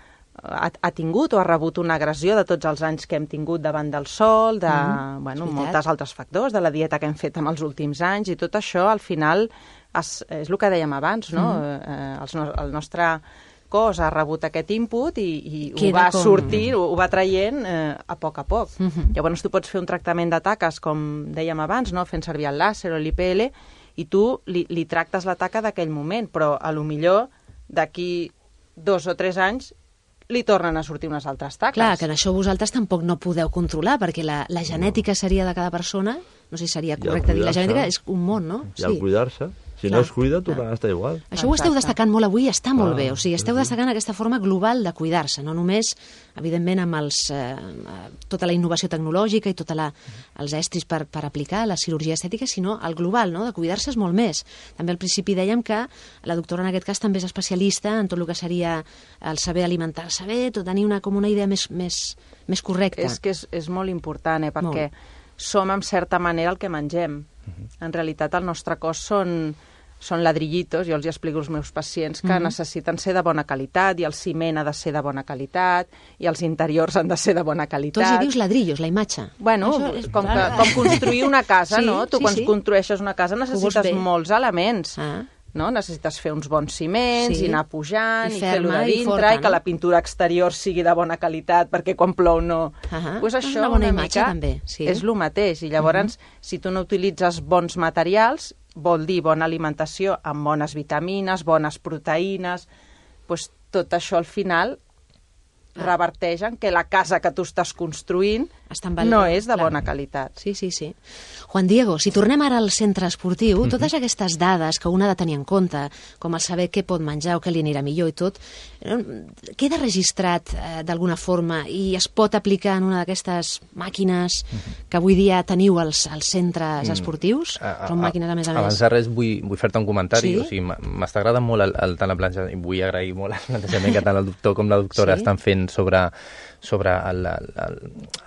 Ha, ha tingut o ha rebut una agressió de tots els anys que hem tingut davant del sol, de mm, bueno, moltes altres factors, de la dieta que hem fet en els últims anys, i tot això, al final, es, és el que dèiem abans, no? Mm. Eh, els, el nostre cos ha rebut aquest input i, i ho va com... sortir, ho, ho va traient eh, a poc a poc. Mm-hmm. Llavors tu pots fer un tractament de taques, com dèiem abans, no? Fent servir el làser o l'I P L, i tu li, li tractes la taca d'aquell moment, però a lo millor d'aquí dos o tres anys li tornen a sortir unes altres taques. Clar, que en això vosaltres tampoc no podeu controlar, perquè la, la genètica seria de cada persona, no sé si seria correcte dir, la genètica és un món, no? I al sí. cuidar-se, Si no es cuida, tornarà a estar igual. Això ho esteu destacant molt avui, està molt bé. O sigui, esteu destacant aquesta forma global de cuidar-se, no només, evidentment, amb els, eh, tota la innovació tecnològica i tots els estris per, per aplicar la cirurgia estètica, sinó el global, no? De cuidar-se és molt més. També al principi dèiem que la doctora en aquest cas també és especialista en tot el que seria el saber alimentar-se bé, tot tenir una, com una idea més, més, més correcta. És que és, és molt important, eh? Perquè molt. Som, en certa manera, el que mengem. En realitat, el nostre cos són... són ladrillitos, jo els explico als meus pacients que mm-hmm. necessiten ser de bona qualitat, i el ciment ha de ser de bona qualitat, i els interiors han de ser de bona qualitat. Tu els hi dius ladrillos, la imatge. Bueno, és... com, que, com construir una casa, sí, no? Tu sí, quan sí. construeixes una casa necessites molts elements. Ah. No? Necessites fer uns bons ciments, sí. i anar pujant, i, i fer-lo de dintre, i, forta, i que no? La pintura exterior sigui de bona qualitat, perquè quan plou no... Uh-huh. Pues això és una bona una imatge, mica també. Sí. És el mateix, i llavors, uh-huh. si tu no utilitzes bons materials, vol dir bona alimentació amb bones vitamines, bones proteïnes, doncs tot això al final reverteix en que la casa que tu estàs construint no és de bona qualitat. Sí, sí, sí. Juan Diego, si tornem ara al centre esportiu, mm-hmm. totes aquestes dades que un ha de tenir en compte, com el saber què pot menjar o què li anirà millor i tot, queda registrat eh, d'alguna forma i es pot aplicar en una d'aquestes màquines mm-hmm. que avui dia teniu als, als centres mm. esportius? A, a, Són màquines, a més a més. Abans de res, vull, vull fer-te un comentari. Sí? O sigui, m'està agradant molt el, el, tant el plantejament, i vull agrair molt el plantejament que tant el doctor com la doctora sí? estan fent sobre, sobre el, el, el,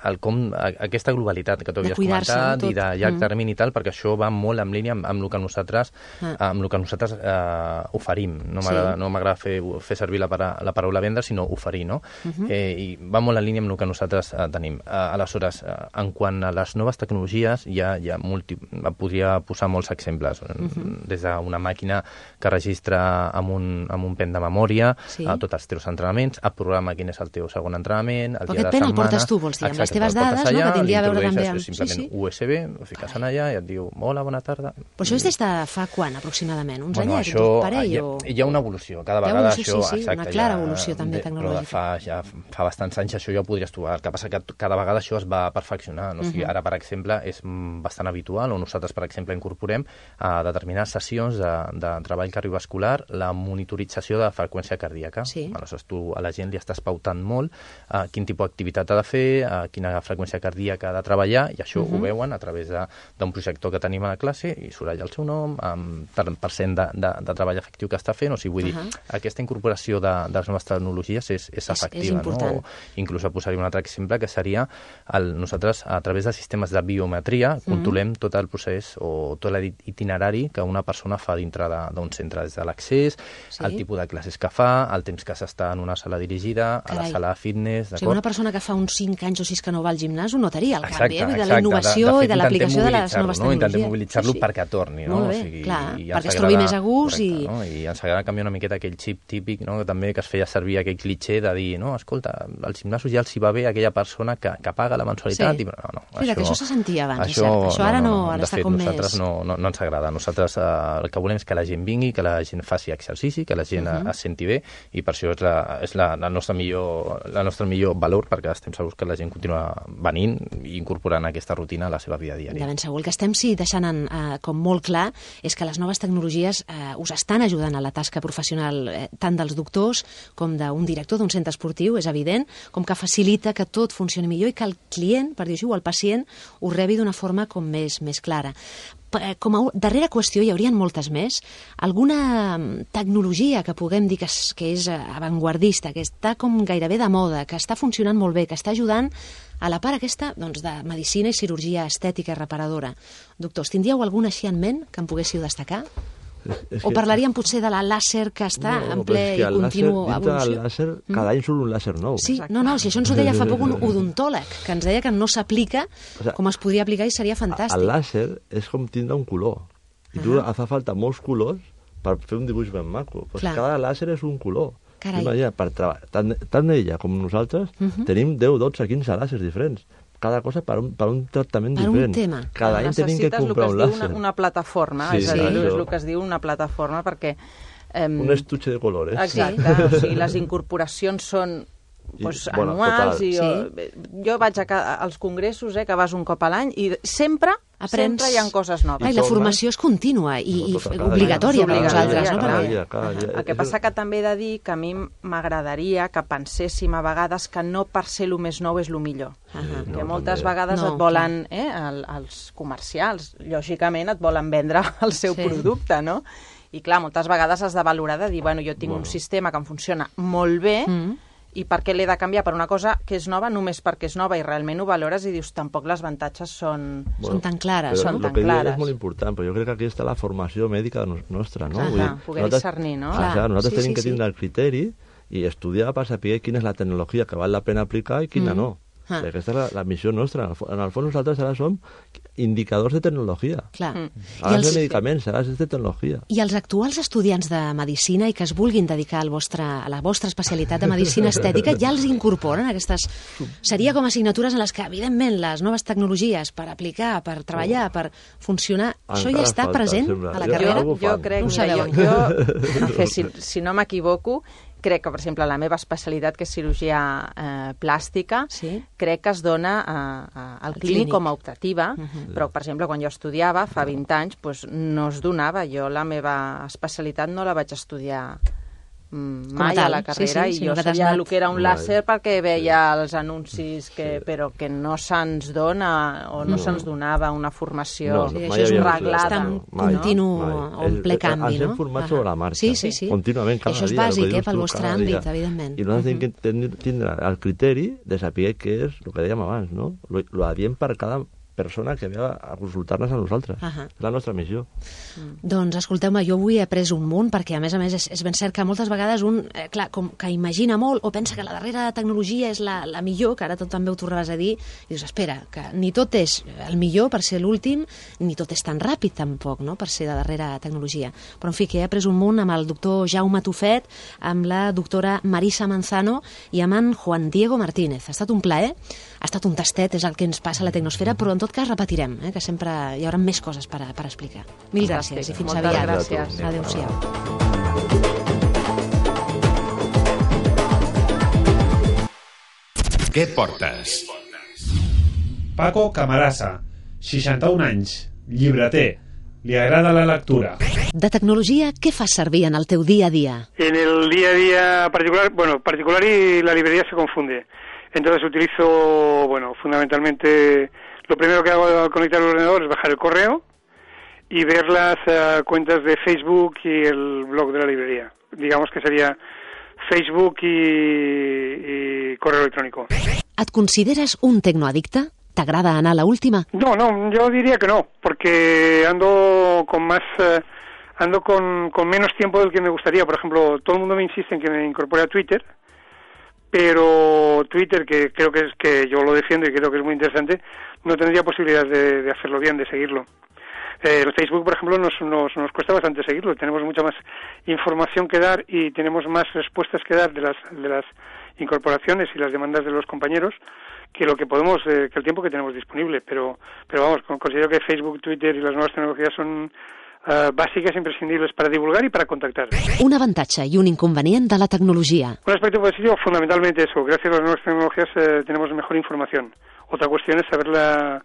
el com, aquesta globalitat que tu havies comentat i de llarg termini i tal, perquè això va molt en línia amb, amb el que nosaltres, ah. amb el que nosaltres eh, oferim. No m'agrada sí. no m'agrada fer, fer servir la, para, la paraula vendre, sinó oferir, no? Uh-huh. eh, I va molt en línia amb el que nosaltres eh, tenim. Eh, aleshores, eh, en quant a les noves tecnologies, ja, ja multi, podria posar molts exemples. Uh-huh. Des d'una màquina que registra amb un, amb un pen de memòria sí. eh, tots els teus entrenaments, et programa quin és el teu segon entrenament, el dia de setmana... Però aquest pen el portes tu, vols dir, amb les teves dades, allà, no? Que tindria a veure també amb... Simplement sí, sí. U S B, ho fiques en allà i et diu, hola, bona tarda. Però això és des de fa quan, aproximadament? Uns bueno, anyets, un parell? Hi ha, o... hi ha una evolució, cada vegada evolució, això... Sí, sí, exacte, una clara ja, evolució també de, tecnològica. Però fa, ja, fa bastants anys això ja ho podries trobar. El que passa que cada vegada això es va perfeccionar. No? O sigui, ara, per exemple, és bastant habitual, o nosaltres, per exemple, incorporem a determinades sessions de, de treball cardiovascular la monitorització de freqüència cardíaca. Sí. Aleshores, tu a la gent li estàs pautant molt uh, quin tipus d'activitat ha de fer, uh, quina freqüència cardíaca ha de treballar, i això uh-huh. ho veuen a través d'un projector que tenim a la classe, i surt allà el seu nom, amb per cent de, de, de treball efectiu que està fent. O sigui, vull uh-huh. dir, aquesta incorporació de, de les noves tecnologies és, és efectiva. És, és no? O inclús posaria un altre exemple, que seria el, nosaltres, a través de sistemes de biometria, uh-huh. controlem tot el procés o tot l'itinerari que una persona fa dintre d'un centre, des de l'accés, sí. el tipus de classes que fa, el temps que s'està en una sala dirigida, Carai. a la sala de fitness, d'acord? O sigui, una persona que fa uns cinc anys o sis que no va al gimnàs ho notaria, el canvi, eh? De la innovació de, de i de l'aplicació de les noves no? tecnologies. Intentem mobilitzar-lo sí, sí. perquè torni, no? Molt bé, o sigui, clar, i perquè es trobi més a gust. Correcte, i... No? I ens agrada canviar una miqueta aquell xip típic, no? Que també que es feia servir aquell clitxé de dir, no, escolta, al gimnàs ja els hi va bé aquella persona que, que paga la mensualitat. Sí. I, no, no, Mira, això, que això se sentia abans, això, cert. Això ara no, no, no, ara de està fet, com nosaltres més... no, no, no ens agrada. Nosaltres eh, el que volem és que la gent vingui, que la gent faci exercici, que la gent uh-huh. es senti bé, i per això és la, és la, la, nostra millor, la nostra millor valor, perquè estem segurs que la gent continua venint i incorporant aquesta rutina a la seva vida diària. De ben segur. El que estem sí deixant en, eh, com molt clar és que les noves tecnologies eh, us estan ajudant a la tasca professional eh, tant dels doctors com d'un director d'un centre esportiu, és evident, com que facilita que tot funcioni millor i que el client, per dir-ho, o el pacient, ho rebi d'una forma com més, més clara. Com a darrera qüestió, hi haurien moltes més, alguna tecnologia que puguem dir que és, que és avantguardista, que està com gairebé de moda, que està funcionant molt bé, que està ajudant a la part aquesta doncs, de medicina i cirurgia estètica i reparadora. Doctors, tindríeu alguna així en ment que em poguéssiu destacar? És, és o parlaríem que... potser de la làser que està no, en ple i continu evolució? El làser, cada any surt un làser nou. Sí, no, no, si això ens ho deia fa poc un odontòleg, que ens deia que no s'aplica o sea, com es podria aplicar i seria fantàstic. El làser és com tindre un color. I tu ah. fa falta molts colors per fer un dibuix ben maco. Pues cada làser és un color. Imagina, per tant, tant ella com nosaltres uh-huh. tenim deu, dotze, quinze làsers diferents. Cada cosa per un, per un tractament per diferent. Un tema. Cada any tenim que comprar un làser. Una, una plataforma, sí, és, sí. és el que es diu una plataforma, perquè... Um, un estuche de colores. Exacte, sí. O sigui, les incorporacions són pues, I, bueno, anuals. I jo, sí. jo vaig a, als congressos, eh, que vas un cop a l'any, i sempre Aprens... Sempre hi ha coses noves. I, I la formació és contínua i, i obligatòria per vosaltres, no? Cada dia, cada dia. El que passa que també he de dir que a mi m'agradaria que penséssim a vegades que no per ser el més nou és el millor. Uh -huh. Que no, moltes també. vegades no, et volen, eh, el, els comercials, lògicament et volen vendre el seu sí. producte, no? I clar, moltes vegades has de valorar de dir, bueno, jo tinc bueno. un sistema que em funciona molt bé, mm. i per què l'he de canviar per una cosa que és nova només perquè és nova i realment ho valores i dius, tampoc les avantatges són, bueno, són tan clares. Són no? tan el que clares. és molt important, però jo crec que aquí està la formació mèdica nostra, no? Ah, Vull dir, poder discernir, no? Clar, clar, nosaltres sí, tenim sí, que sí. tindre el criteri i estudiar per saber quina és la tecnologia que val la pena aplicar i quina mm. no. Ah. Aquesta és la, la missió nostra. En el fons nosaltres ara som indicadors de tecnologia. Clar. Mm. Ara els... de medicaments, ara és de tecnologia. I els actuals estudiants de Medicina i que es vulguin dedicar al vostre, a la vostra especialitat de Medicina Estètica ja els incorporen aquestes... Seria com assignatures en les que, evidentment, les noves tecnologies per aplicar, per treballar, oh. per funcionar, Encara això ja està falta, present sembla. a la Jo, carrera? Jo, jo crec no que jo, jo, jo si, si no m'equivoco, crec que, per exemple, la meva especialitat, que és cirurgia eh, plàstica, sí. crec que es dona a, a, al clínic, clínic com a optativa, uh -huh. però, per exemple, quan jo estudiava, fa vint anys, doncs, no es donava. Jo la meva especialitat no la vaig estudiar mai a la carrera, sí, sí, i jo sabia el que era un làser perquè veia els anuncis, que, sí. però que no se'ns dona o no, no. se'ns donava una formació no, no, això és un reglada. Està en continu o en ple canvi, no? Ens hem format sobre la marxa, sí, sí, sí. contínuament, cada això és dia. bàsic, eh, pel vostre àmbit, evidentment. I nosaltres uh -huh. tenim que tindre el criteri de saber què és el que dèiem abans, no? Lo, lo adient per cada persona que ve a consultar-nos a nosaltres. Uh -huh. És la nostra missió. Mm. Doncs, escolteu-me, jo avui he après un munt, perquè, a més a més, és, és ben cert que moltes vegades un, eh, clar, com que imagina molt o pensa que la darrera tecnologia és la, la millor, que ara tu també ho tornaves a dir, i dius, espera, que ni tot és el millor per ser l'últim, ni tot és tan ràpid, tampoc, no?, per ser de darrera tecnologia. Però, en fi, que he après un munt amb el doctor Jaume Tufet, amb la doctora Marisa Manzano i amb en Juan Diego Martínez. Ha estat un plaer, ha estat un tastet, és el que ens passa a la Tecnosfera, però en tot cas repetirem, eh, que sempre hi haurà més coses per, a, per explicar. Mil gràcies i fins Moltes aviat. Gràcies. Adéu-siau. Què portes? Paco Camarasa, seixanta-un anys, llibreter. Li agrada la lectura. De tecnologia, què fas servir en el teu dia a dia? En el día a día particular, bueno, particular y la librería se confunde. Entonces utilizo, bueno, fundamentalmente, lo primero que hago al conectar el ordenador es bajar el correo y ver las uh, cuentas de Facebook y el blog de la librería. Digamos que sería Facebook y, y correo electrónico. Et consideres un tecnoaddicte? ¿T'agrada anar a la última? No, no, yo diría que no, porque ando con más, uh, ando con, con menos tiempo del que me gustaría. Por ejemplo, todo el mundo me insiste en que me incorpore a Twitter, pero Twitter, que creo que es que yo lo defiendo y creo que es muy interesante, no tendría posibilidad de, de hacerlo bien, de seguirlo. Eh, el Facebook, por ejemplo, nos, nos, nos cuesta bastante seguirlo. Tenemos mucha más información que dar y tenemos más respuestas que dar de las, de las incorporaciones y las demandas de los compañeros que lo que podemos, eh, que el tiempo que tenemos disponible. Pero, pero vamos, considero que Facebook, Twitter y las nuevas tecnologías son Uh, bàsiques, imprescindibles para divulgar y para contactar. Un avantatge i un inconvenient de la tecnologia. Un aspecto positivo, fundamentalmente eso. Gracias a las nuevas tecnologías eh, tenemos mejor información. Otra cuestión es saberla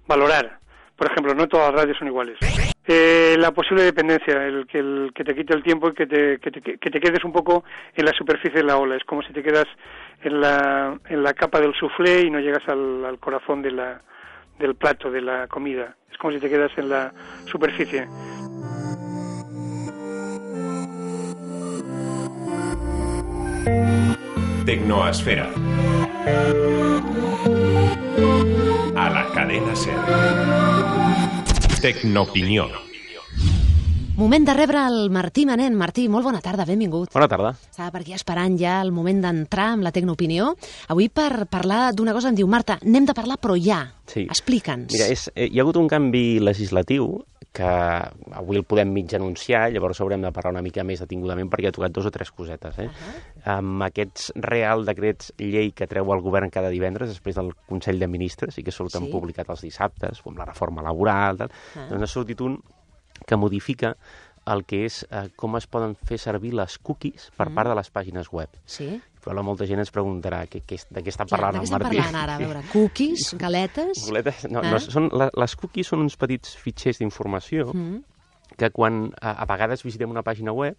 valorar. Por ejemplo, no todas las radios son iguales. Eh, la posible dependencia, el que, el que te quite el tiempo y que te, que, te, que te quedes un poco en la superficie de la ola. Es como si te quedas en la, en la capa del soufflé y no llegas al, al corazón de la, del plato, de la comida. Es como si te quedas en la superficie. Tecnoesfera. A la cadena SER. Tecnoopinió. Moment de rebre el Martí Manent. Martí, molt bona tarda, benvingut. Bona tarda. Estava per aquí esperant ja el moment d'entrar amb la Tecnoopinió. Avui per parlar d'una cosa em diu, Marta, n'hem de parlar però ja. Sí. Explica'ns. Mira, és, eh, hi ha hagut un canvi legislatiu que avui el podem mig anunciar, llavors haurem de parlar una mica més detingudament perquè ha tocat dos o tres cosetes. Eh? Uh -huh. Amb aquests real decrets llei que treu el govern cada divendres després del Consell de Ministres i que surten sí. publicat els dissabtes, com la reforma laboral, tal, uh -huh. doncs ha sortit un que modifica el que és eh, com es poden fer servir les cookies per Mm. part de les pàgines web. Sí. Però molta gent ens preguntarà que, que, de què està Clar, parlant de què el estem Martí. parlant ara? A veure, cookies, galetes... Boletes? No, Eh? no són, la, les cookies són uns petits fitxers d'informació Mm. que quan a, a vegades visitem una pàgina web,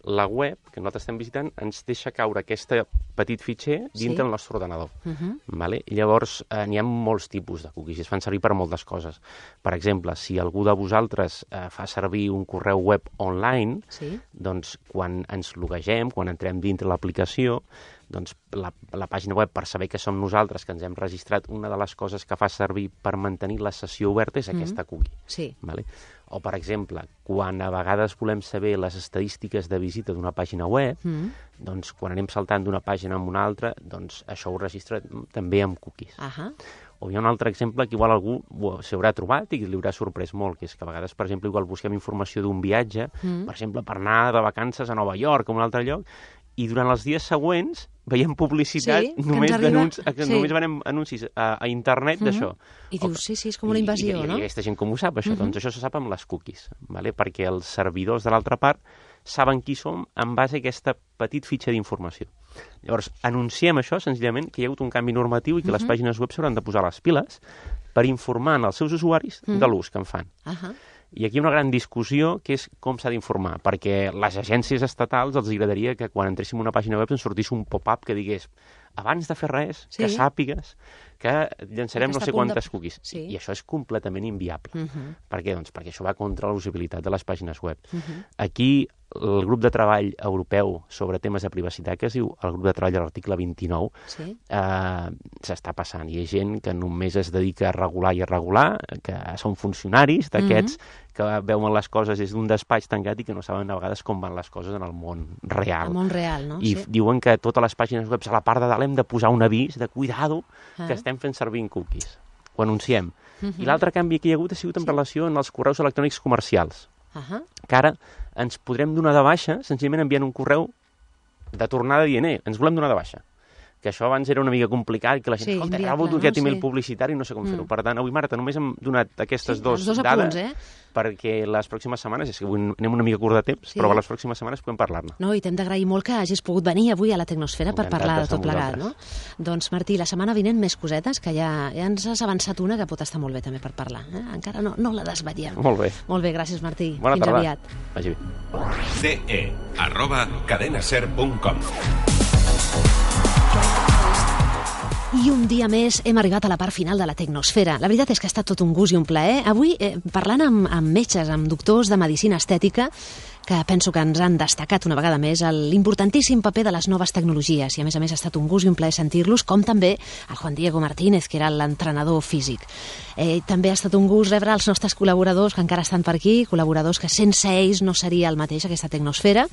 la web que nosaltres estem visitant ens deixa caure aquest petit fitxer dintre Sí. el nostre ordenador. Mhm. Vale? I llavors eh, n'hi ha molts tipus de cookies i es fan servir per moltes coses. Per exemple, si algú de vosaltres eh, fa servir un correu web online, Sí. doncs quan ens loguegem, quan entrem dintre l'aplicació, doncs la, la pàgina web, per saber que som nosaltres, que ens hem registrat, una de les coses que fa servir per mantenir la sessió oberta és Mhm. aquesta cookie. Sí. Vale? O, per exemple, quan a vegades volem saber les estadístiques de visita d'una pàgina web, Mm. doncs quan anem saltant d'una pàgina a una altra, doncs això ho registra també amb cookies. Ahà. O hi ha un altre exemple que igual algú ho- s'hi haurà trobat i li haurà sorprès molt, que és que a vegades, per exemple, igual busquem informació d'un viatge, Mm. per exemple, per anar de vacances a Nova York o a un altre lloc, i durant els dies següents veiem publicitat Sí, que només, ens arriba- d'anuncis, que sí. només venem anuncis a, a internet Mhm. d'això. I O dius, sí, sí, és com una invasió, I, i, no? I aquesta gent com ho sap, això? Mhm. Doncs això se sap amb les cookies, vale? Perquè els servidors de l'altra part saben qui som en base a aquesta petit fitxa d'informació. Llavors, anunciem això, senzillament, que hi ha hagut un canvi normatiu i que les Mhm. pàgines web s'hauran de posar les piles per informar als seus usuaris Mhm. de l'ús que en fan. Ahà. I aquí hi ha una gran discussió que és com s'ha d'informar, perquè les agències estatals els agradaria que quan entréssim a una pàgina web ens sortís un pop-up que digués abans de fer res, Sí. que sàpigues que llançarem Que no està sé a punt de- quantes cookies. Sí. I això és completament inviable. Mhm. Per què? Doncs perquè això va contra la usabilitat de les pàgines web. Mhm. Aquí el grup de treball europeu sobre temes de privacitat, que es diu el grup de treball de l'article vint-i-nou, Sí. eh, s'està passant. Hi ha gent que només es dedica a regular i a regular, que són funcionaris d'aquests, que veuen les coses des d'un despatx tancat i que no saben a vegades com van les coses en el món real. El món real, no? I Sí. diuen que totes les pàgines web a la part de dalt hem de posar un avís de cuidado Ah. que estem fent servir cookies. Ho anunciem. Mhm. I l'altre canvi que hi ha hagut ha sigut en relació amb els correus electrònics comercials, Ahà. que ara ens podrem donar de baixa senzillament enviant un correu de tornada dient, eh, ens volem donar de baixa. Que això abans era una mica complicat, que la gent, Sí, escolta, he inviable, rebut no? aquest email Sí. publicitari i no sé com Mm. fer-ho. Per tant, avui, Marta, només hem donat aquestes Sí, dos, els dos dades apunts, eh? perquè les pròximes setmanes, és que avui anem una mica curt de temps, Sí. però a les pròximes setmanes podem parlar-ne. No, i t'hem d'agrair molt que hagis pogut venir avui a la Tecnosfera per Encantat parlar de d'estar tot amb plegat, no? Doncs, Martí, la setmana vinent més cosetes, que ja, ja ens has avançat una que pot estar molt bé també per parlar. Eh? Encara no, no la desvetllem. Molt bé. Molt bé, gràcies, Martí. Bona Fins tarda. aviat. Vagi bé. ce arroba cadenaser punt com. I un dia més hem arribat a la part final de la Tecnosfera. La veritat és que ha estat tot un gust i un plaer. Avui, eh, parlant amb, amb metges, amb doctors de medicina estètica, que penso que ens han destacat una vegada més l'importantíssim paper de les noves tecnologies, i a més a més ha estat un gust i un plaer sentir-los, com també el Juan Diego Martínez, que era l'entrenador físic. Eh, també ha estat un gust rebre els nostres col·laboradors que encara estan per aquí, col·laboradors que sense ells no seria el mateix aquesta Tecnosfera,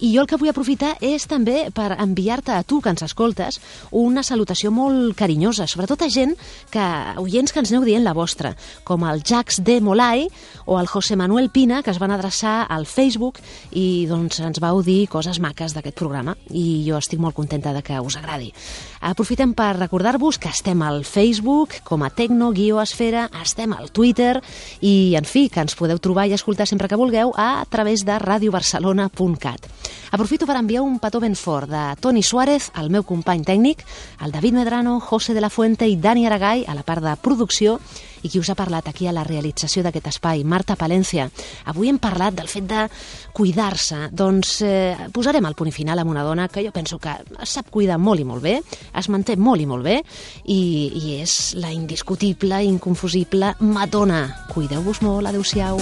i jo el que vull aprofitar és també per enviar-te a tu que ens escoltes una salutació molt carinyosa, sobretot a gent que, oients que ens aneu dient la vostra, com el Jax de Molay o el José Manuel Pina, que es van adreçar al Facebook i doncs ens vau dir coses maques d'aquest programa, i jo estic molt contenta de que us agradi. Aprofitem per recordar-vos que estem al Facebook com a Tecno-Esfera, estem al Twitter i, en fi, que ens podeu trobar i escoltar sempre que vulgueu a través de radio barcelona punt cat. Aprofito per enviar un petó ben fort de Toni Suárez, el meu company tècnic, el David Medrano, José de la Fuente i Dani Aragay a la part de producció, i qui us ha parlat aquí a la realització d'aquest espai, Marta Palencia. Avui hem parlat del fet de cuidar-se. Doncs eh, posarem el punt i final amb una dona que jo penso que es sap cuidar molt i molt bé, es manté molt i molt bé, i, i és la indiscutible, inconfusible Madonna. Cuideu-vos molt, adeu-siau.